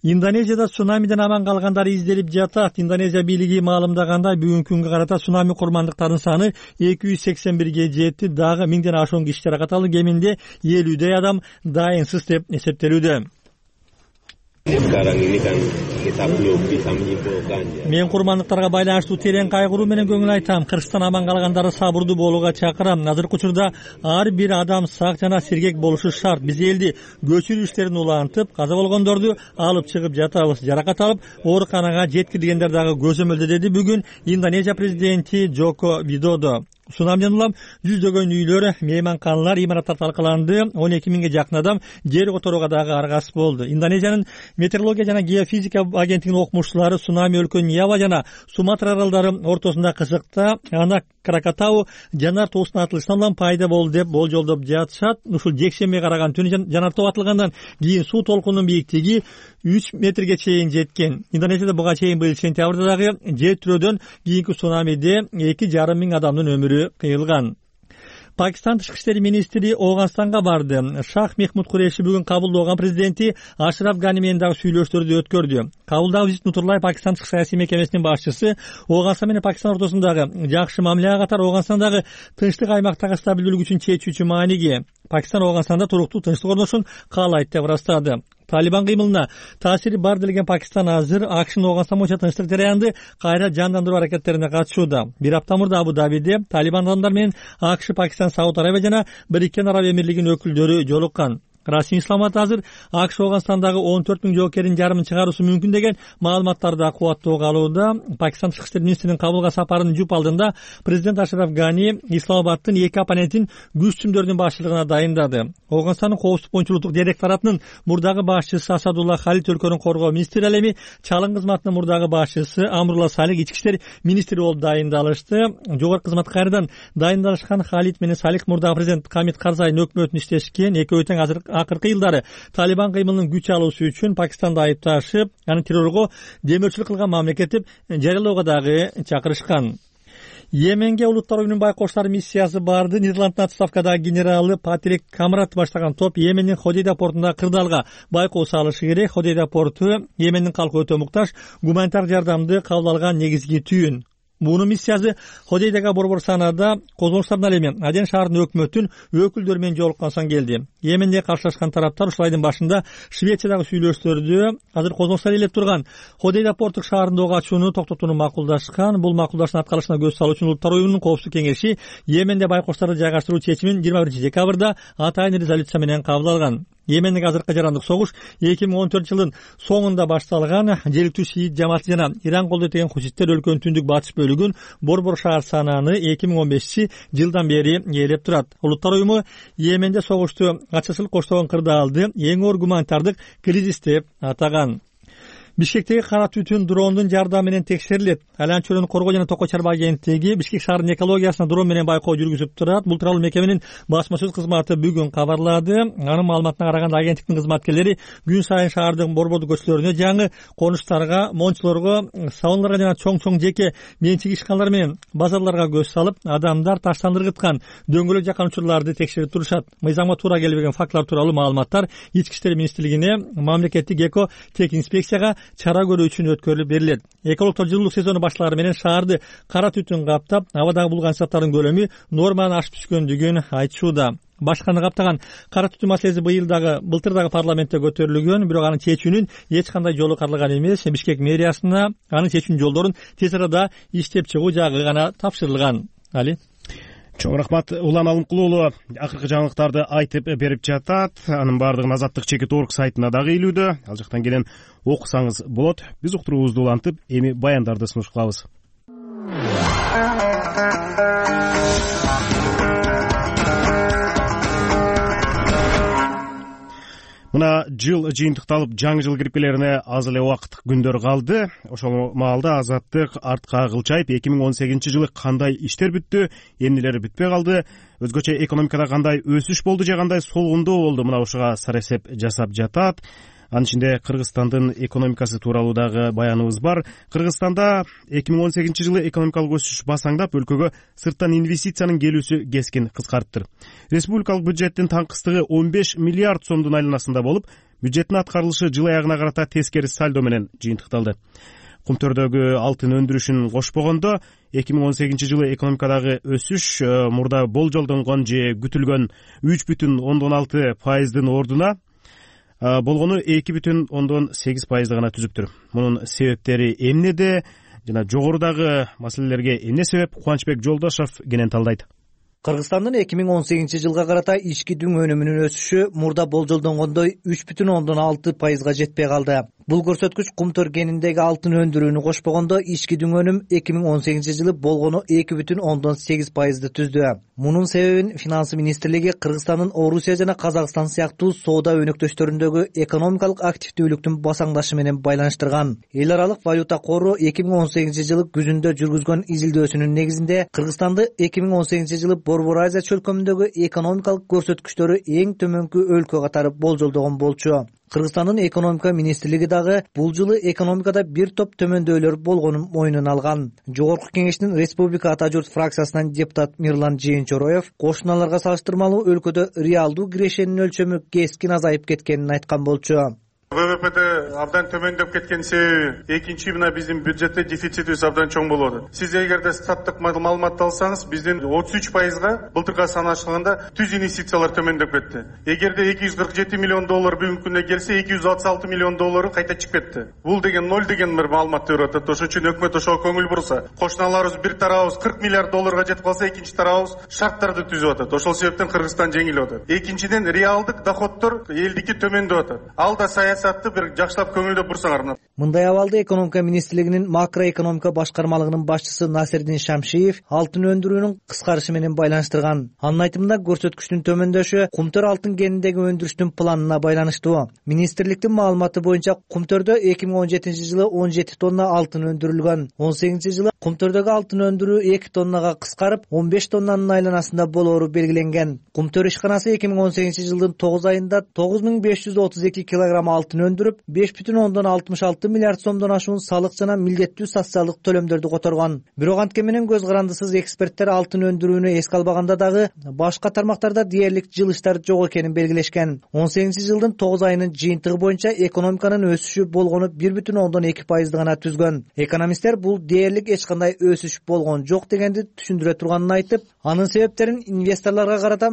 Индонезияда цунамиден аман калгандар изделип жатат. Индонезия бийлиги маалымдагандай, бүгүнкү күнгө карата цунами курмандыктарынын саны 281-ге жетти. Дагы 1000ден ашуун киши жаракат алды. Кеминде 50 адам дайынсыз деп эсептелүүдө. Мен курмандыктарга байланыштуу терең кайгыруу менен көңүл айтам. Кыргызстан аман калгандары сабырдуу болууга чакырам. Азыркы учурда ар бир адам сак жана сергек болушу шарт. Биз элди көчүрүү иштерин улантып, каза болгондорду алып чыгып жатабыз. Жаракат алып, ооруканага жеткирилгендер дагы көзөмөлдө, деди бүгүн Индонезия президенти Джоко Видодо. Цунамиден улам жүздөгөн үйлөр, мейманканалар, имараттар талкаланды. 12 миңге жакын адам жер которууга дагы аргасыз болду. Индонезиянын метеорология жана геофизика агенттигинин окумуштуулары цунами өлкөнүн Ява жана Суматра аралдары ортосунда кызыкта Анак Кракатау жанар тоосунун атылышынан улам пайда болду деп болжолдоп жатышат. Ушул жекшембиге караган түнү жанар тоо атылгандан кийин суу толкунунун бийиктиги 3 метрге чейин жеткен. Индонезияда буга чейин быйыл сентябрда дагы жер тирөөдөн кийинки цунамиде 2,5 миң адамдын өмүрү кыйылган. Пакистан тышкы иштери министри Ооганстанга барды. Шах Мехмуд Куреши бүгүн кабылдаган президенти Ашраф Гани менен дагы сүйлөштөрдү өткөрдү. Кабылдагы визит Нутурлай Пакистан тышкы саясий мекемесинин башчысы Ооганстан менен Пакистан ортосундагы жакшы мамилеге катар Ооганстандагы тынчтык аймактагы стабилдүүлүк үчүн чечүүчү мааниге. Пакистан Ооганстанда туруктуу тынчтык орношун каалайт деп ырастады. Талибан кыймылына таасири бар делген Пакистан азыр АКШнын Ооганстан боюнча тынчтык жараянды кайра жандандыруу аракеттерине катышууда. Бир апта мурда Абу Дабиде Талибан адамдар менен АКШ, Пакистан, Сауд Арабия жана Бириккен Араб Эмирлигинин өкүлдөрү жолуккан. Расмий исламат азыр АКШ Ооганстандагы 14 миң жоокерин жарымын чыгаруусу мүмкүн деген маалыматтарды кубаттоо калууда. Пакистан тышкы иштер министринин кабылга сапарынын жуп алдында президент Ашраф Гани Исламабадтын эки оппонентин күч түмдөрүнүн башчылыгына дайындады. Ооганстандын коопсуздук боюнча улуттук директоратынын мурдагы башчысы Асадулла Халит өлкөнүн коргоо министри, ал эми чалым кызматынын мурдагы башчысы Амрула Салих ички иштер министри болуп дайындалышты. Жогорку кызматка кайрадан дайындалышкан Халит менен Салих мурдагы президент Хамид Карзайдын өкмөтүнө иштешкен. Экөөбү тең азыр акыркы жылдары Талибан кыймылынын күч алуусу үчүн Пакистанды айыпташып, аны террорго демөөрчүлүк кылган мамлекет деп жарыялоого дагы чакырышкан. Йеменге Улуттар уюмунун байкоштор миссиясы барды. Нидерланддын отставкадагы генералы Патрик Камрат баштаган топ Йемендин Ходейда портундагы кырдаалга байкоо салышы керек. Ходейда порту Йемендин калкы өтө муктаж, гуманитар жардамды кабыл алган негизги түйүн. Мунун миссиясы Ходейдага борбор санаада козголуштардан ал эми Аден шаарынын өкмөтүнүн өкүлдөрү менен жолуккан соң келди. Йеменде каршылашкан тараптар ушул айдын башында Швециядагы сүйлөшүүлөрдү азыр козголуштар ээлеп турган Ходейда порттук шаарында ок ачууну токтотууну макулдашкан. Бул макулдаштын аткарылышына көз салуу үчүн Улуттар уюмунун коопсуздук кеңеши Йеменде байкошторду жайгаштыруу чечимин 21-декабрда атайын резолюция менен кабыл алган. Йемендеги азыркы жарандык согуш 2014-жылдын соңунда башталган. Желиктүү шиит жамааты жана Иран колдойт деген хуситтер өлкөнүн түндүк батыш бөлүгүн борбор шаар санааны 2015-жылдан бери ээлеп турат. Улуттар уюму Йеменде согушту ачысылык коштогон кырдаалды эң оор гуманитардык кризис деп атаган. Бишкектеги кара түтүн дрондун жардамы менен текшерилет. Айланча чөйрөнү коргоо жана токой чарба агенттиги Бишкек шаарынын экологиясына дрон менен байкоо жүргүзүп турат. Бул тууралуу мекеменин басма сөз кызматы бүгүн кабарлады. Анын маалыматына караганда агенттиктин кызматкерлери күн сайын шаардын борбордук көчөлөрүнө, жаңы конуштарга, мончулорго, сауналарга жана чоң жеке менчик ишканалар менен базарларга көз салып, адамдар таштандыргыткан дөңгөлөк жаккан учурларды текшерип турушат. Мыйзамга туура келбеген фактылар тууралуу маалыматтар Ички иштер министрлигине, мамлекеттик эко тек инспекцияга чара көрүү үчүн өткөрүлүп берилет. Экологдор жылуулук сезону башталары менен шаарды кара түтүн каптап, абадагы булган заттардын көлөмү нормадан ашып түшкөндүгүн айтышууда. Башканы каптаган кара түтүн маселеси былтыр дагы парламентте көтөрүлгөн, бирок анын чечүүнүн эч кандай жолу каралган эмес. Бишкек мэриясына анын чечүүнүн жолдорун тез арада иштеп чыгуу жагы гана тапшырылган. Али чоң рахмат. Улан Алымкулуу уулу акыркы жаңылыктарды айтып берип жатат. Анын баардыгын Азаттык.org сайтына дагы илүүдө. Ал жактан келен окусаңыз болот. Биз уктуруубузду улантып, эми баяндарды сунуш кылабыз. Мына жыл жыйынтыкталып, жаңы жыл кирип келерине аз эле убакыт, күндөр калды. Ошол маалда Азаттык артка кылчайып 2018-жылы кандай иштер бүттү, эмнелер бүтпөй калды, өзгөчө экономикада кандай өсүш болду же кандай солгундоо болду, мына ушуга сарасеп жасап жатат. Анын ичинде Кыргызстандын экономикасы тууралуу дагы баяныбыз бар. Кыргызстанда 2018-жылы экономикалык өсүш басаңдап, өлкөгө сырттан инвестициянын келүүсү кескин кыскарыптыр. Республикалык бюджеттин таңкыстыгы 15 миллиард сомдун айланасында болуп, бюджеттин аткарылышы жыл аягына карата тескери сальдо менен жыйынтыкталды. Кумтөрдөгү алтын өндүрүшүн кошпогондо 2018-жылы экономикадагы өсүш мурда болжолдонгон же күтүлгөн 3,6% ордуна болгону 2,8% гана түзүптүр. Мунун себептери эмнеде жана жогорудагы маселелерге эмне себеп? Кубанычбек Жолдошов кенен талдайт. Кыргызстандын 2018-жылга карата ички дүң өнүмүнүн өсүшү мурда болжолдонгондой 3,6%га жетпей калды. Бул көрсөткүч Кумтөр кениндеги алтын өндүрүүнү кошпогондо ички дүң өнүм 2018-жылы болгону 2,8%ды түздү. Мунун себебин Финансы министрлиги Кыргызстандын Орусия жана Казакстан сыяктуу соода өнөктөштөрүндөгү экономикалык активдүүлүктүн басаңдашы менен байланыштырган. Эл аралык валюта кору 2018-жылы күзүндө жүргүзгөн изилдөөсүнүн негизинде Кыргызстанды 2018-жылы Борбор Азия чөлкөмүндөгү экономикалык көрсөткүчтөрү эң төмөнкү өлкө катары болжолдогон болчу. Кыргызстандын экономика министрлиги дагы бул жылы экономикада бир топ төмөндөөлөр болгонун мойнуна алган. Жогорку кеңештин Республика Ата журт фракциясынан депутат Мирлан Жээнчороев кошуналарга салыштырмалуу өлкөдө реалдуу кирешенин өлчөмү кескин азайып кеткенин айткан болчу. ВВП'de абдан төмөндөп кеткен себеби экинчи мына биздин бюджетте дефицитибиз абдан чоң болуп атат. Сиз эгерде статтык маалыматты алсаңыз, биздин 33%га былтырга санаштырганда түз инвестициялар төмөндөп кетти. Эгерде 247 миллион доллар бүгүнкү күндө келсе, 266 миллион доллары кайта чыгып кетти. Бул деген 0 деген бир маалыматты берип атат. Ошон үчүн өкмөт ошого көңүл бурса, кошуналарыбыз бир тарабыбыз 40 миллиард долларга жетип калса, экинчи тарабыбыз шарттарды түзүп атат. Ошол себептен Кыргызстан жеңилип атат. Экинчиден реалдык доходдор элдики төмөндөп атат. Ал да саясатты бир жакшылап көңүлдөп бурсаңар. Мындай абалда экономика министрлигинин макроэкономика башкармалыгынын башчысы Насирдин Шамшиев алтын өндүрүүнүн кыскарышы менен байланыштырган. Анын айтымында көрсөткүчтүн төмөндөшү Кумтөр алтын кениндеги өндүрүштүн планына байланыштуу. Министрликтин маалыматы боюнча Кумтөрдө 2017-жылы 17 тонна алтын өндүрүлгөн. 18-жылы Кумтөрдөгү алтын өндүрүү 2 тоннага кыскарып, 15 тоннанын айланасында болоору белгиленген. Кумтөр ишканасы 2018-жылдын 9 айында 9532 килограмм алтын өндүрүп, 5,66 миллиард сомдон ашуун салык жана милдеттүү социалдык төлөмдөрдү которгон. Бирок антке менен көз карандысыз эксперттер алтын өндүрүүнү эске албаганда дагы башка тармактарда дээрлик жылыштар жок экенин белгилешкен. 18-жылдын 9 айынын жыйынтыгы боюнча экономиканын өсүшү болгону 1,2% гана түзгөн. Экономисттер бул дээрлик эч кандай өсүш болгон жок дегенди түшүндүрө турганын айтып, анын себептерин инвесторлорго карата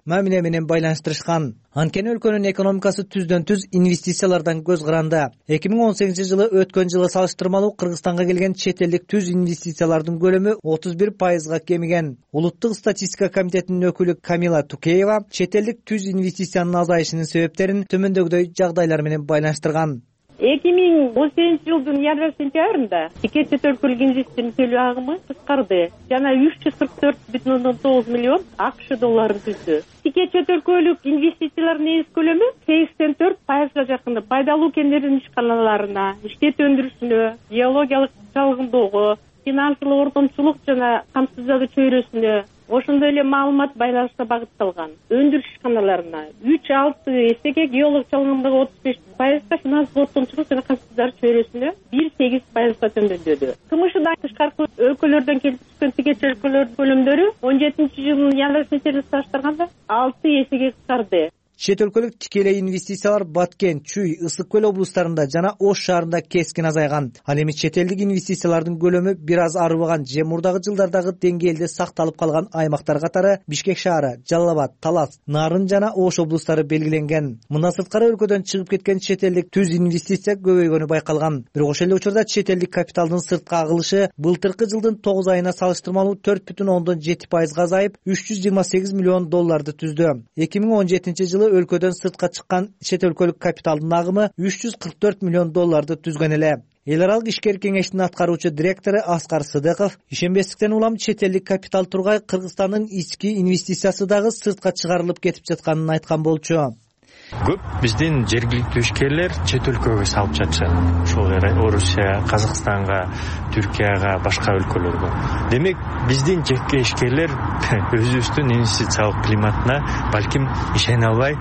мамиле менен байланыштырышкан. Анткени өлкөнүн экономикасы түздөн-түз инвестициялардан көз каранды. 2018-жылы өткөн жылы салыштырмалуу Кыргызстанга келген чет элдик түз инвестициялардын көлөмү 31%га кемиген. Улуттук статистика комитетинин өкүлү Камила Тукеева чет элдик түз инвестициянын азайышынын себептерин төмөндөгүдөй жагдайлар менен байланыштырган. 2018-жылдын январь-сентябрында тике чет өлкөлүк инвестордун төлөө агымы кыскарды жана 344,9 миллион АКШ долларын түздү. Тике чет өлкөлүк инвестициялардын негиз көлөмү 84%га жакын пайдалуу кендердин ишканаларына, иштет өндүрүшүнө, геологиялык чалгындоого, финансылык ортомчулук жана камсыздоо чөйрөсүнө, ошондой эле маалымат байланышына багытталган өндүрүш ишканаларына 3-6 эсеге, геолог чалгындоого 35%, финансылык ортомчулук жана камсыздоо чөйрөсүнө 1,8%га төмөндөдү. КМШдан тышкаркы өлкөлөрдөн келип түшкөн тике чет өлкөлөрдүн көлөмдөрү 17-жылдын январь-сентябрь салыштырганда 6 эсеге кыскарды. Чет өлкөлүк тикелей инвестициялар Баткен, Чүй, Ысык көл облустарында жана Ош шаарында кескин азайган. Ал эми чет элдик инвестициялардын көлөмү бир аз арыбаган же мурдагы жылдардагы деңгээлде сакталып калган аймактар катары Бишкек шаары, Жалал Абад, Талас, Нарын жана Ош облустары белгиленген. Мындан сырткары өлкөдөн чыгып кеткен чет элдик түз инвестиция көбөйгөнү байкалган. Бирок ошол эле учурда чет элдик капиталдын сыртка агылышы былтыркы жылдын 9 айына салыштырмалуу 4,7%га азайып, 328 миллион долларды түздү. 2017-жылы өлкөдөн сыртка чыккан чет өлкөлүк капиталдын агымы 344 миллион долларды түзгөн эле. Эл аралык ишкер кеңештин аткаруучу директору Аскар Сыдыков ишенбестиктен улам чет элдик капитал тургай Кыргызстандын ички инвестициясы дагы сыртка чыгарылып кетип жатканын айткан болчу. Көп биздин жергиликтүү ишкерлер чет өлкөгө салып жатышат. Ошол Орусия, Казакстанга, Түркияга, башка өлкөлөргө. Демек, биздин жеке ишкерлер өзүбүздүн инвестициялык климатына балким ишене албай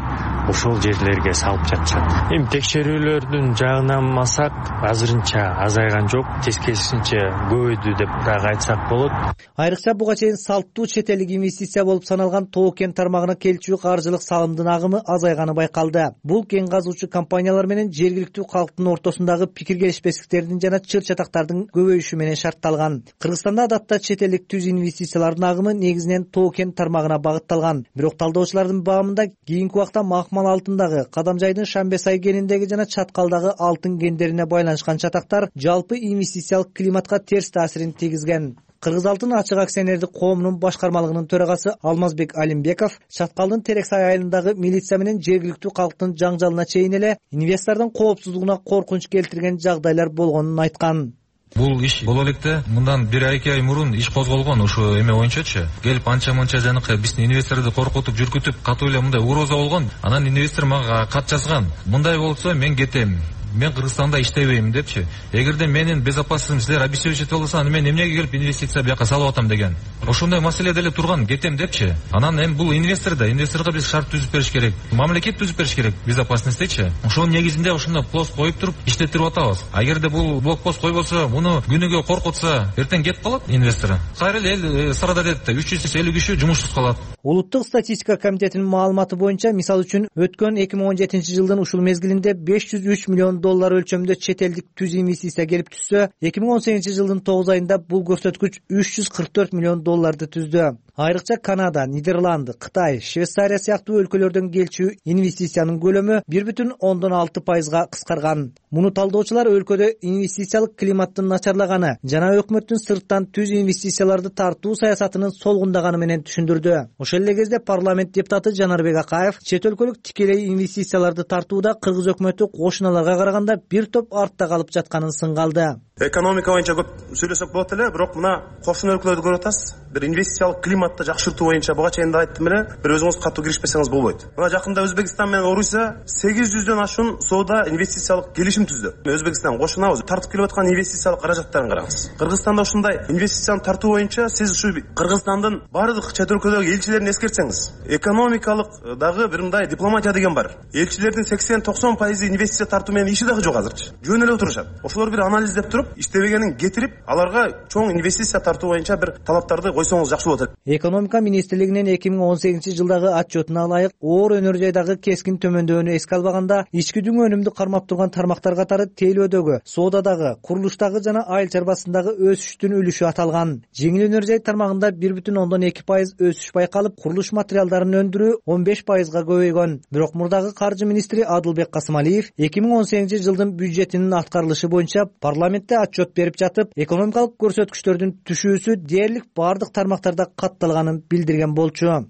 ошол жерлерге салып жатышат. Эми текшерүүлөрдүн жагынан алсак, азырынча азайган жок, тескерисинче көбөйдү деп дагы айтсак болот. Айрыкча буга чейин салттуу чет элдик инвестиция болуп саналган Тоо-Кен тармагына келчү каржылык салымдын агымы азайганы байкалды. Бул кен казуучу компаниялар менен жергиликтүү калктын ортосундагы пикир келишпестиктердин жана чыр-чатактардын көбөйүшү менен шартталган. Кыргызстанда адатта чет элдик түз инвестициялардын агымы негизинен Тоо-Кен тармагына багытталган. Бирок талдоочулардын баамында кийинки убакта Махмал алтындагы, Кадамжайдын Шамбесай кениндеги жана Чаткалдагы алтын кендерине байланышкан чатактар жалпы инвестициялык климатка терс таасирин тийгизген. Кыргыз алтын ачык акционердик коомунун башкармалыгынын төрагасы Алмазбек Алимбеков Чаткалдын Терексай айылындагы милиция менен жергиликтүү калктын жаңжалына чейин эле инвестордун коопсуздугуна коркунуч келтирген жагдайлар болгонун айткан. Бул иш боло электе мындан 1-2 ай мурун иш козголгон ошо эме боюнчачы. Келип анча-мынча жанакы биздин инвесторду коркутуп, жүркүтүп, катуу эле мындай угроза болгон. Анан инвестор мага кат жазган. Мындай болсо мен кетем. Мен Кыргызстанда иштебейм депчи. Эгерде менин безопасностьтумду силер обеспечить болсо, аны мен эмнеге келип инвестиция бияка салып атам деген. Ошондой маселе деле турган, кетем депчи. Анан эми бул инвесторго биз шарт түзүп бериш керек. Мамлекет түзүп бериш керек безопасностьтечи. Ошонун негизинде ошондой пост коюп туруп иштетип атабыз. Агерде бул блокпост койбосо, муну күнүгө коркутса, эртең кетип калат инвестор. Кайра эле эл сырада дедите 350 киши жумушсуз калат. Улуттук статистика комитетинин маалыматы боюнча, мисалы үчүн өткөн 2017-жылдын ушул мезгилинде 503 миллион доллар өлчөмдө чет элдик түз инвестиция келип түшсө, 2018-жылдын 9 айында бул көрсөткүч 344 миллион долларды түздү. Айрыкча Канада, Нидерланды, Кытай, Швейцария сыяктуу өлкөлөрдөн келчү инвестициянын көлөмү 1,6%га кыскарган. Муну талдоочулар өлкөдө инвестициялык климаттын начарлаганы жана өкмөттүн сырттан түз инвестицияларды тартуу саясатынын солгундаганы менен түшүндүрдү. Ошол эле кезде парламент депутаты Жанарбек Акаев чет өлкөлүк тикелей инвестицияларды тартууда Кыргыз өкмөтү кошуналарга караган караганда бир топ артта калып жатканын сынга алды. Экономика боюнча көп сүйлөсөк болот эле, бирок мына кошуна өлкөлөрдү көрүп атасыз. Бир инвестициялык климатты жакшыртуу боюнча буга чейин да айттым эле, бир өзүңүз катуу киришпесеңиз болбойт. Мына жакында Өзбекстан менен Орусия 800дөн ашуун соода инвестициялык келишим түздү. Өзбекстан кошунабыз, тартып келип аткан инвестициялык каражаттарын караңыз. Кыргызстанда ушундай инвестицияны тартуу боюнча сиз ушу Кыргызстандын бардык чет өлкөлөрдөгү элчилерин эскертсеңиз, экономикалык дагы бир мындай дипломатия деген бар. Элчилердин 80-90% инвестиция тартуу менен иши дагы жок азырчы. Жөн эле отурушат. Ошолор бир анализдеп туруп, иштебегенин кетирип, аларга чоң инвестиция тартуу боюнча бир талаптарды койсоңуз жакшы болот. Экономика министрлигинин 2018-жылдагы отчетуна ылайык, оор өнөр жайдагы кескин төмөндөөнү эске албаганда, ички дүң өнүмдү кармап турган тармактар катары тейлөөдөгү, соодадагы, курулуштагы жана айыл чарбасындагы өсүштүн үлүшү аталган. Жеңил өнөр жай тармагында 1,2% өсүш байкалып, курулуш материалдарын өндүрүү 15%га көбөйгөн. Бирок мурдагы каржы министри Адылбек Касымалиев 2018-жылдын бюджетинин аткарылышы боюнча парламентте отчет берип жатып, экономикалык көрсөткүчтөрдүн түшүүсү дээрлик бардык тармактарда катталганын билдирген болчу.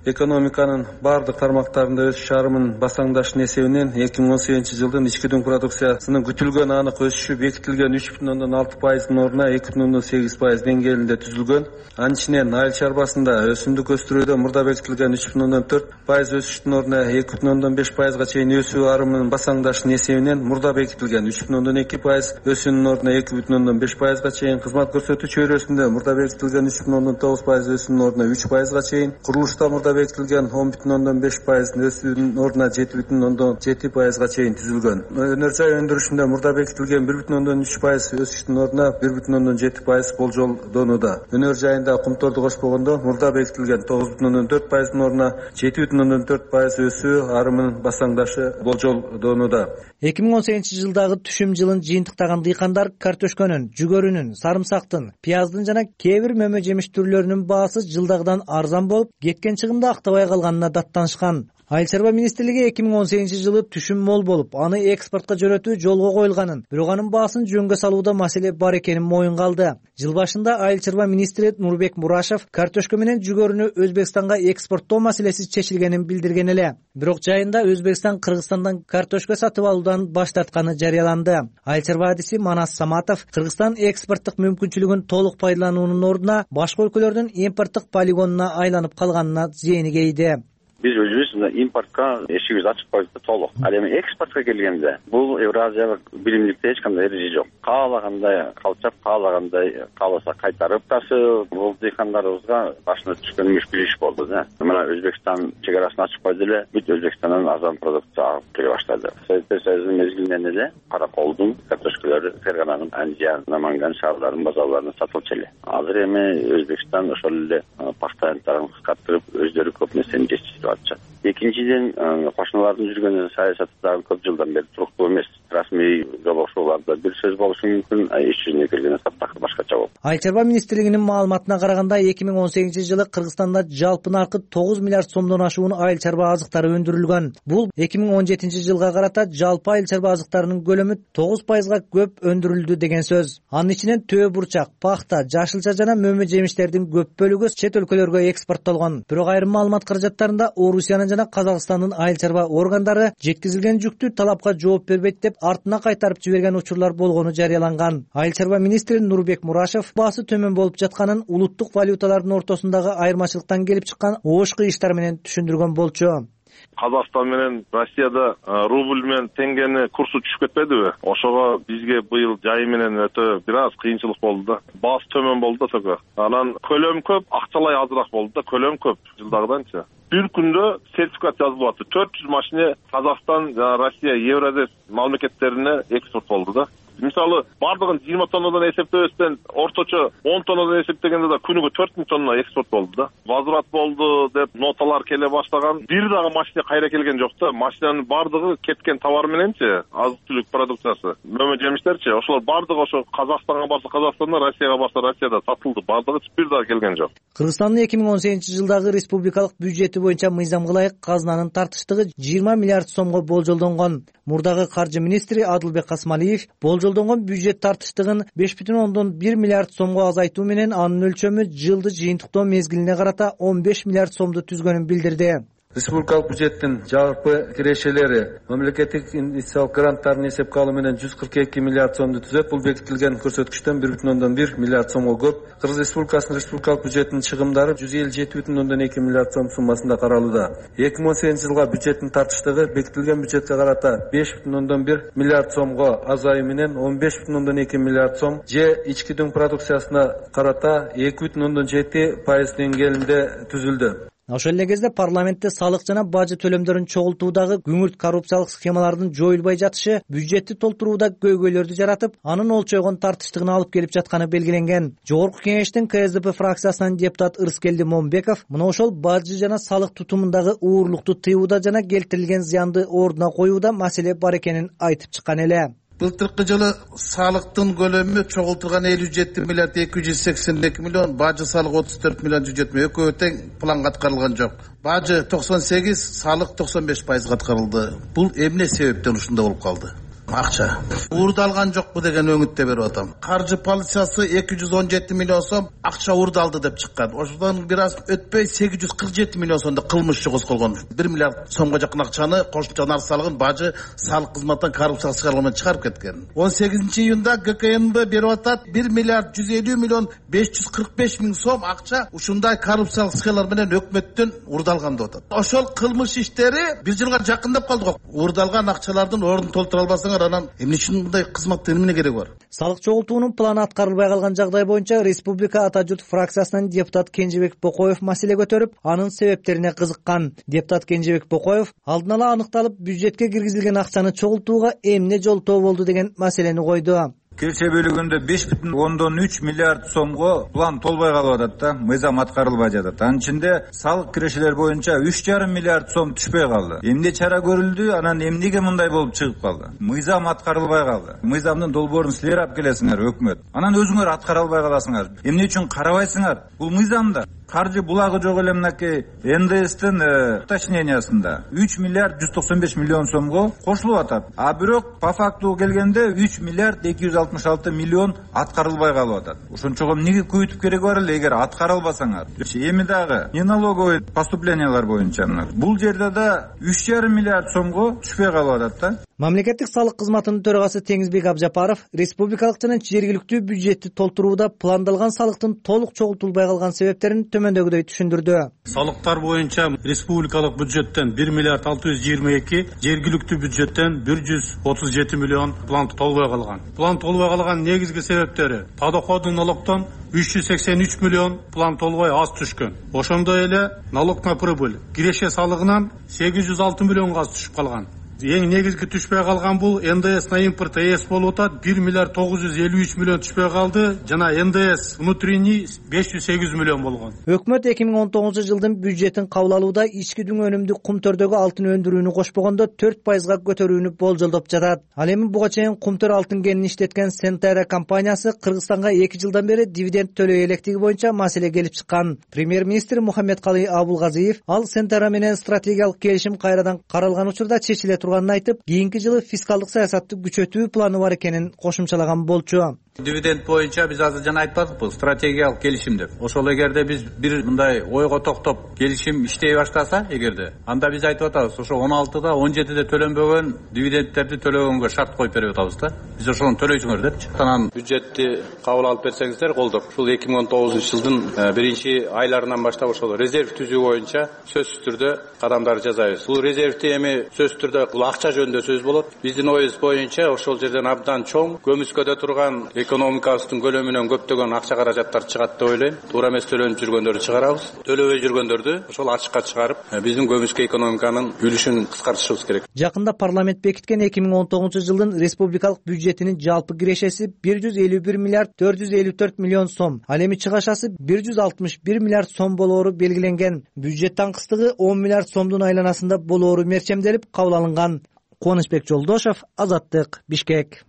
Экономиканын бардык тармактарында өсүш арымын басаңдашын эсебинен 2018-жылдын ички дүң продукциясынын күтүлгөн анык өсүшү бекитилген 3,6%-дын ордуна 2,8% деңгээлинде түзүлгөн. Анын ичинен айыл чарбасында өсүмдүк өстүрүүдө мурда бекитилген 3,4% өсүштүн ордуна 2,5%га чейин өсүү арымынын басаңдашын эсебинен мурда бекитилген 3,2% өсүүнүн ордуна 2,5%га чейин, кызмат көрсөтүү чөйрөсүндө мурда бекитилген 3,9% өсүүнүн ордуна 3%га чейин, курулушта мурда бекитилген 10,5% өсүүнүн ордуна 7,7%га чейин түзүлгөн. Өнөр жай өндүрүшүндө мурда бекитилген 1,3% өсүштүн ордуна 1,7% болжолдонууда. Өнөр жайында кумторду кошпогондо мурда бекитилген 9,4%-дын ордуна 7,4% өсүү арымынын басаңдашы болжолдонууда. 2018-жылдагы түшүм жылын жыйынтыктаган дыйкандар картөшкөнүн, жүгөрүнүн, сарымсактын, пияздын жана кээ бир мөмө жемиш түрлөрүнүн баасы жылдагыдан арзан болуп, кеткен чыгымды актабай калганына даттанышкан. Айыл чарба министрлиги 2018-жылы түшүм мол болуп, аны экспортко жөнөтүү жолго коюлганын, бирок анын баасын жөнгө салууда маселе бар экенин моюнга алды. Жыл башында айыл чарба министри Нурбек Мурашев картөшкө менен жүгөрүнү Өзбекстанга экспорттоо маселеси чечилгенин билдирген эле. Бирок жайында Өзбекстан Кыргызстандан картөшкө сатып алуудан баш тартканы жарыяланды. Айыл чарба адиси Манас Саматов Кыргызстан экспорттук мүмкүнчүлүгүн толук пайдалануунун ордуна башка өлкөлөрдүн импорттук полигонуна айланып калганына зээни кейди. Биз өзүбүз импортко эшигибизди ачып койдук толук. Ал эми экспортко келгенде бул Евразиялык биримдикте эч кандай эреже жок. Каалагандай калчап, каалагандай кааласа кайтарып тасып, бул дыйкандарыбызга башына түшкөн мүшкүл иш болду да. Мына Өзбекстан чек арасын ачып койду эле, бүт Өзбекстандан арзан продукция алып келе баштады. Советтер Союзунун мезгилинен эле караколдун, картөшкөлөрү, Фергананын, Анжиян, Наманган шаарларынын базарларына сатылчу эле. Азыр эми Өзбекстан ошол эле пахта рыногун кыскартырып, өздөрү көп нерсени жетиштирип атышат. Экинчиден, кошуналардын жүргөн саясаты дагы көп жылдан бери туруктуу эмес. Расмий жолугушууларда бир сөз болушу мүмкүн, иш жүзүнө келгенде таптакыр башкача болот. Айыл чарба министрлигинин маалыматына караганда 2018-жылы Кыргызстанда жалпы наркы 9 миллиард сомдон ашуун айыл чарба азыктары өндүрүлгөн. Бул 2017-жылга карата жалпы айыл чарба азыктарынын көлөмү 9%га көп өндүрүлдү деген сөз. Анын ичинен төө бурчак, пахта, жашылча жана мөмө жемиштердин көп бөлүгү чет өлкөлөргө экспорттолгон. Бирок айрым маалымат каражаттарында Орусиянын жана Казакстандын айыл чарба органдары жеткизилген жүктү талапка жооп бербейт деп артына кайтарып жиберген учурлар болгону жарыяланган. Айыл чарба министри Нурбек Мурашев баасы төмөн болуп жатканын улуттук валюталардын ортосундагы айырмачылыктан келип чыккан оошку иштар менен түшүндүргөн болчу. Казакстан менен Россияда рубль менен теңгени курсу түшүп кетпедиби? Ошого бизге быйыл жай менен өтө бир аз кыйынчылык болду да. Баасы төмөн болду да только. Анан көлөм көп, акчалай азыраак болду да, көлөм көп жылдагыданчы. Бир күндө сертификат жазылып атты. 400 машина Казакстан жана Россия, Евразес мамлекеттерине экспорт болду да. Мисалы, бардыгын 20 тоннадан эсептебестен орточо 10 тоннадан эсептегенде да күнүгө 4000 тонна экспорт болду да. Возврат болду деп ноталар келе баштаган. Бир дагы машина кайра келген жок да. Машинанын бардыгы кеткен товар мененчи, азык-түлүк продукциясы, мөмө жемиштерчи, ошолор бардыгы ошо Казакстанга барса Казакстанда, Россияга барса Россияда сатылды. Бардыгы бир дагы келген жок. Кыргызстандын 2018-жылдагы республикалык бюджети боюнча мыйзамга ылайык казынанын тартыштыгы 20 миллиард сомго болжолдонгон. Мурдагы каржы министри Адылбек Касымалиев болжолдонгон бюджет тартыштыгын 5,1 миллиард сомго азайтуу менен анын өлчөмү жылды жыйынтыктоо мезгилине карата 15 миллиард сомду түзгөнүн билдирди. Республикалык бюджеттин жалпы кирешелери мамлекеттик инвестициялык гранттардын эсепке алуу менен 142 миллиард сомду түзөт. Бул бекитилген көрсөткүчтөн 1,1 миллиард сомго көп. Кыргыз Республикасынын республикалык бюджетинин чыгымдары 157,2 миллиард сом суммасында каралууда. 2018 жылга бюджеттин тартыштыгы бекитилген бюджетке карата 5,1 миллиард сомго азайуу менен 15,2 миллиард сом же ички дүң продукциясына карата 2,7% деңгээлинде түзүлдү. Ошол эле кезде парламентте салык жана бажы төлөмдөрүн чогултуудагы күңүрт коррупциялык схемалардын жоюлбай жатышы бюджетти толтурууда көйгөйлөрдү жаратып, анын олчойгон тартыштыгына алып келип жатканы белгиленген. Жогорку кеңештин КСДП фракциясынан депутат Ырыскелди Момбеков мына ошол бажы жана салык тутумундагы уурлукту тыюуда жана келтирилген зыянды ордуна коюуда маселе бар экенин айтып чыккан эле. Былтыркы жылы салыктын көлөмү чогултулган 57 миллиард 282 миллион, бажы салык 34 миллион 170. Экөө тең планга аткарылган жок. Бажы 98, салык 95% аткарылды. Бул эмне себептен ушундай болуп калды? Акча уурдалган жокпу деген өңүттө берип атам. Каржы полициясы 217 миллион сом акча уурдалды деп чыккан. Ошондон бир аз өтпөй 847 миллион сомдо кылмыш козголгон. 1 миллиард сомго жакын акчаны кошумча нар салыгын бажы салык кызматтан коррупциялык схемалардан чыгарып кеткен. 18 июнда ГКНБ берип атат 1 миллиард 150 миллион 545 миң сом акча ушундай коррупциялык схемалар менен өкмөттөн уурдалган деп атат. Ошол кылмыш иштери бир жылга жакындап калды го. Уурдалган акчалардын ордун толтура албасаңар анан эмне үчүн мындай кызматтын эмне кереги бар? Салык чогултуунун планы аткарылбай калган жагдай боюнча Республика Ата журт фракциясынан депутат Кенжебек Бокоев маселе көтөрүп, анын себептерине кызыккан. Депутат Кенжебек Бокоев алдын ала аныкталып, бюджетке киргизилген акчаны чогултууга эмне жолтоо болду деген маселени койду. Келсе бөлүгүндө 5,3 миллиард сомго план толбой калып атат да, мыйзам аткарылбай жатат. Анын ичинде салык кирешелер боюнча 3,5 миллиард сом түшпөй калды. Эмне чара көрүлдү, анан эмнеге мындай болуп чыгып калды? Мыйзам аткарылбай калды. Мыйзамдын долбоорун силер алып келесиңер өкмөт. Анан өзүңөр аткара албай каласыңар. Эмне үчүн карабайсыңар? Бул мыйзамда каржы булагы жок эле мынакей НДСтин уточнениясында 3 миллиард 195 миллион сомго кошулуп атат. А бирок по факту келгенде 3 миллиард 266 миллион аткарылбай калып атат. Ошончого эмнеге көбөйтүп кереги бар эле эгер аткара албасаңар? Эми дагы не налоговый поступлениялар боюнча бул жерде да 3,5 миллиард сомго түшпөй калып атат да. Мамлекеттик салык кызматынын төрагасы Теңизбек Абжапаров республикалык жана жергиликтүү бюджетти толтурууда пландалган салыктын толук чогултулбай калган себептерин төмөндөгүдөй түшүндүрдү. Салыктар боюнча республикалык бюджеттен 1 миллиард 622, жергиликтүү бюджеттен 137 миллион план толбой калган. План толбой калган негизги себептери подоходный налогтон 383 миллион план толбой аз түшкөн. Ошондой эле налог на прибыль киреше салыгынан 806 миллионго аз түшүп калган. Эң негизги түшпөй калган бул НДС на импорт ЭС болуп атат. 1 миллиард 953 миллион түшпөй калды жана НДС внутренний 508 миллион болгон. Өкмөт 2019 жылдын бюджетин кабыл алууда ички дүң өнүмдү кумтөрдөгү алтын өндүрүүнү кошпогондо 4%га көтөрүүнү болжолдоп жатат. Ал эми буга чейин кумтөр алтын кенин иштеткен Сентера компаниясы Кыргызстанга 2 жылдан бери дивиденд төлөй электиги боюнча маселе келип чыккан. Премьер-министр Мухаммедкалый Абулгазиев ал Сентера менен стратегиялык келишим кайрадан каралган учурда чечиле турганын айтып, кийинки жылы фискалдык саясатты күчөтүү планы бар экенин кошумчалаган болчу. Дивиденд боюнча биз азыр жана айтпадыкпы, стратегиялык келишим деп. Ошол эгерде биз бир мындай ойго токтоп келишим иштей баштаса, эгерде анда биз айтып атабыз, ошо 16да 17де төлөнбөгөн дивидендтерди төлөгөнгө шарт коюп берип атабыз да. Биз ошону төлөйсүңөр депчи. Анан бюджетти кабыл алып берсеңиздер колдоп, ушул 2019 жылдын биринчи айларынан баштап ошол резерв түзүү боюнча сөзсүз түрдө кадамдар жасайбыз. Бул резервти эми сөзсүз түрдө бул акча жөнүндө сөз болот. Биздин оюбуз боюнча ошол жерден абдан чоң көмүскөдө турган экономикабыздын көлөмүнөн көптөгөн акча каражаттар чыгат деп ойлойм. Туура эмес төлөнүп жүргөндөрдү чыгарабыз. Төлөбөй жүргөндөрдү ошол ачыкка чыгарып, биздин көмүскө экономиканын үлүшүн кыскартышыбыз керек. Жакында парламент бекиткен 2019 жылдын республикалык бюджетинин жалпы кирешеси 151 миллиард 454 миллион сом. Ал эми чыгашасы 161 миллиард сом болоору белгиленген. Бюджет таңкыстыгы 10 миллиард сомдун айланасында болоору мерчемделип кабыл алынган. Кубанычбек Жолдошев, Азаттык, Бишкек.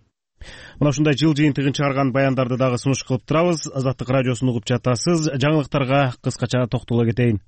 Мына ушундай жыл жыйынтыгын чыгарган баяндарды дагы сунуш кылып турабыз. Азаттык радиосун угуп жатасыз. Жаңылыктарга кыскача токтоло кетейин.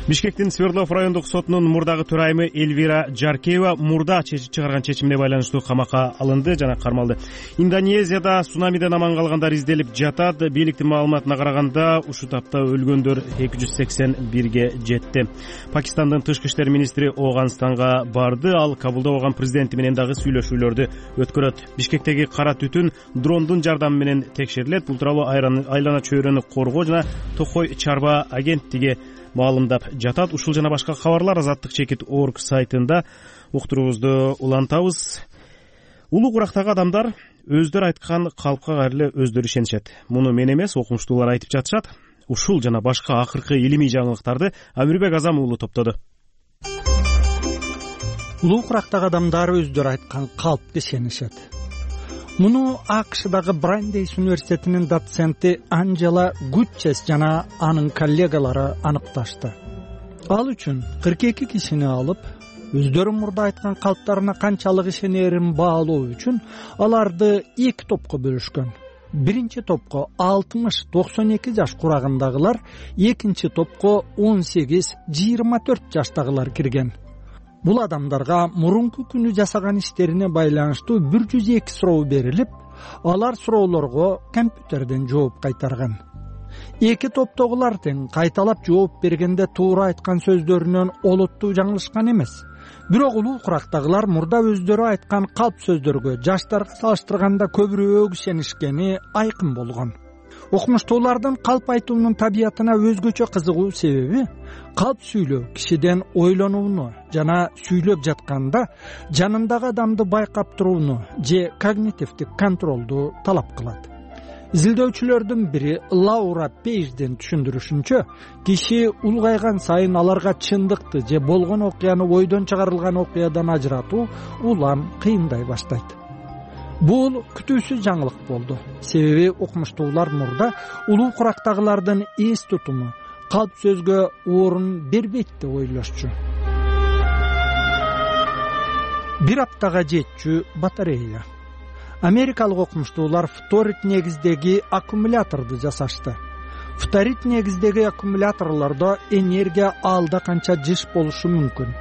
Бишкектин Свердлов райондук сотунун мурдагы төрайымы Эльвира Жаркеева мурда чыгарган чечимине байланыштуу камакка алынды жана кармалды. Индонезияда цунамиден аман калгандар изделип жатат. Бийликтин маалыматына караганда ушул тапта өлгөндөр 281ге жетти. Пакистандын тышкы иштер министри Ооганстанга барды. Ал Кабулда болгон президенти менен дагы сүйлөшүүлөрдү өткөрөт. Бишкектеги кара түтүн дрондун жардамы менен текшерилет. Бул тууралуу айлана чөйрөнү коргоо жана Токой чарба агенттиги маалымдап жатат. Ушул жана башка кабарлар Азаттык.org сайтында уктуруубузду улантабыз. Улуу Курактагы адамдар өздөрү айткан калпка кайрылы өздөрү ишенишет. Муну мен эмес, окумуштуулар айтып жатышат. Ушул жана башка акыркы илимий жаңылыктарды Амирбек Азам уулу топтоду. Улуу Курактагы адамдар өздөрү айткан калпка ишенишет. Муну АКШдагы Брандейс университетинин доценти Анджела Гутчес жана анын коллегалары аныкташты. Ал үчүн 42 кишини алып, өздөрү мурда айткан калптарына канчалык ишенерин баалоо үчүн аларды 2 топко бөлүшкөн. Биринчи топко 60-92 жаш курагындагылар, экинчи топко 18-24 жаштагылар кирген. Бул адамдарга мурунку күнү жасаган иштерине байланыштуу 102 суроо берилип, алар суроолорго компьютерден жооп кайтарган. Эки топтогулар тең кайталап жооп бергенде туура айткан сөздөрүнөн олуттуу жаңылышкан эмес. Бирок улуу курактагылар мурда өздөрү айткан калп сөздөргө жаштарга салыштырганда көбүрөөк ишенишкени айкын болгон. Окумуштуулардын калп айтуунун табиятына өзгөчө кызыгуу себеби калп сүйлөө кишиден ойлонууну жана сүйлөп жатканда жанындагы адамды байкап турууну же когнитивдик контролду талап кылат. Изилдөөчүлөрдүн бири Лаура Пейжден түшүндүрүшүнчө, киши улгайган сайын аларга чындыкты же болгон окуяны ойдон чыгарылган окуядан ажыратуу улам кыйындай баштайт. Бул күтүүсүз жаңылык болду. Себеби окумуштуулар мурда улуу курактагылардын эс тутуму калп сөзгө орун бербейт деп ойлошчу. Бир аптага жетчү батарея. Америкалык окумуштуулар фторит негиздеги аккумуляторду жасашты. Фторит негиздеги аккумуляторлордо энергия алда канча жыш болушу мүмкүн.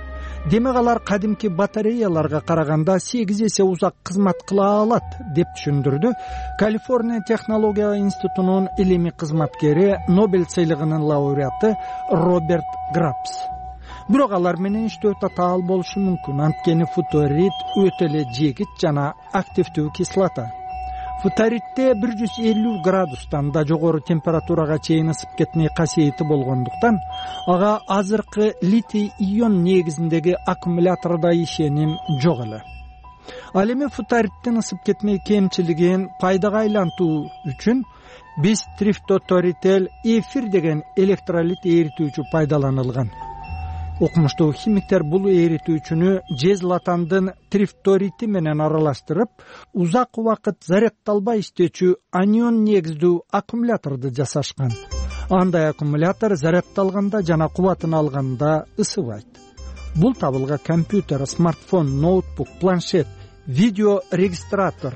Демек алар кадимки батареяларга караганда 8 эсе узак кызмат кыла алат деп түшүндүрдү Калифорния технология институтунун илимий кызматкери, Нобель сыйлыгынын лауреаты Роберт Грабс. Бирок алар менен иштөө татаал болушу мүмкүн, анткени фторит өтө эле жегит жана активдүү кислота. Фторитте 150 градустан да жогору температурага чейин ысып кетмей касиети болгондуктан ага азыркы литий ион негизиндеги аккумулятордо ишеним жок эле. Ал эми фториттин ысып кетмей кемчилигин пайдага айлантуу үчүн биз трифторител эфир деген электролит эритүүчү пайдаланылган. Окумуштуу химиктер бул эритүүчүнү жезлатандын трифторити менен аралаштырып, узак убакыт зарядталбай иштечү анион негиздүү аккумуляторду жасашкан. Андай аккумулятор зарядталганда жана кубатын алганда ысыбайт. Бул табылга компьютер, смартфон, ноутбук, планшет, видео регистратор,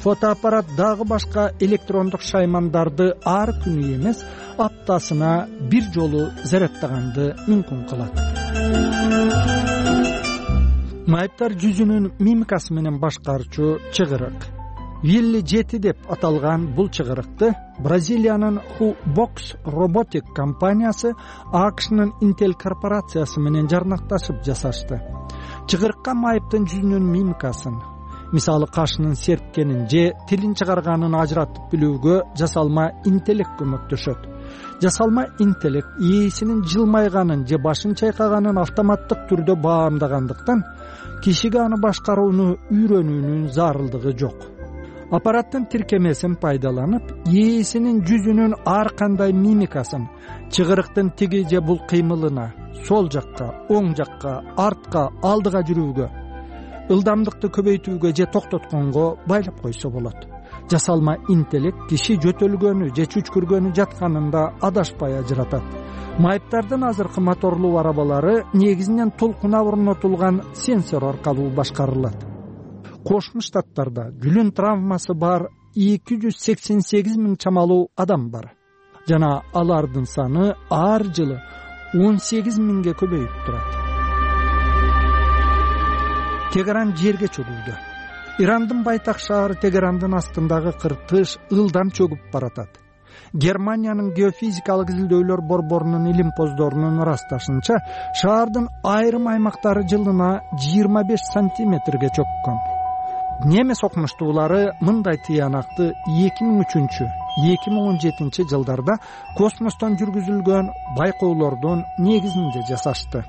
фотоаппарат дагы башка электрондук шаймандарды ар күнү эмес, аптасына бир жолу зарядтаганды мүмкүн кылат. Майыптар жүзүнүн мимикасы менен башкарчу чыгырык. Вилли 7 деп аталган бул чыгырыкты Бразилиянын Hubox Robotic компаниясы АКШнын Intel корпорациясы менен жарнакташып жасашты. Чыгырыкка майыптын жүзүнүн мимикасын, мисалы кашынын серткенин же тилин чыгарганын ажыратып билүүгө жасалма интеллект көмөктөшөт. Жасалма интеллект ээсинин жылмайганын же башын чайкаганын автоматтык түрдө баамдагандыктан кишиге аны башкарууну үйрөнүүнүн зарылдыгы жок. Аппараттын тиркемесин пайдаланып, ээсинин жүзүнүн ар кандай мимикасын, чыгырыктын тиги же бул кыймылына, сол жакка, оң жакка, артка, алдыга жүрүүгө, ылдамдыкты көбөйтүүгө же токтотконго байлап койсо болот. Жасалма интеллект киши жөтөлгөнү же чүчкүргөнү жатканында адашпай ажыратат. Майыптардын азыркы моторлуу арабалары негизинен толкуна орнотулган сенсор аркылуу башкарылат. Кошмо Штаттарда жүлүн травмасы бар 288 000 чамалуу адам бар. Жана алардын саны ар жылы 18 миңге көбөйүп турат. Тегеран жерге чөгүлдү. Ирандын байтак шаары Тегерандын астындагы кыртыш ылдам чөгүп баратат. Германиянын геофизикалык изилдөөлөр борборунун илимпоздорунун ырасташынча, шаардын айрым аймактары жылына 25 сантиметрге чөккөн. Немес окумуштуулары мындай тыянакты 2003-2017 жылдарда космостон жүргүзүлгөн байкоолордун негизинде жасашты.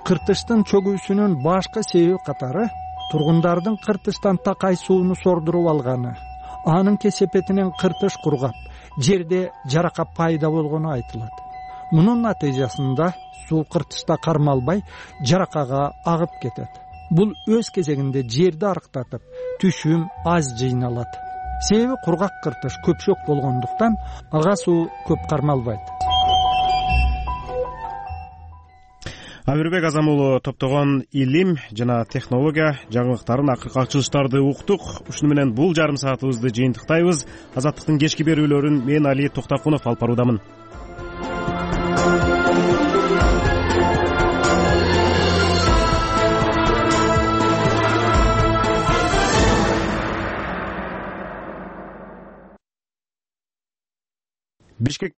Кыртыштын чөгүүсүнүн башкы себеби катары тургундардын кыртыштан такай сууну сордуруп алганы, анын кесепетинен кыртыш кургап, жерде жарака пайда болгону айтылат. Мунун натыйжасында суу кыртышта кармалбай, жаракага агып кетет. Бул өз кезегинде жерди арыктатып, түшүм аз жыйналат. Себеби кургак кыртыш көпшөк болгондуктан ага суу көп кармалбайт. Амирбек Азамулу топтогон илим жана технология жаңылыктарын, акыркы ачылыштарды уктук. Ушуну менен бул жарым саатыбызды жыйынтыктайбыз. Азаттыктын кечки берүүлөрүн мен Али Токтакунов алып баруудамын. Бишкек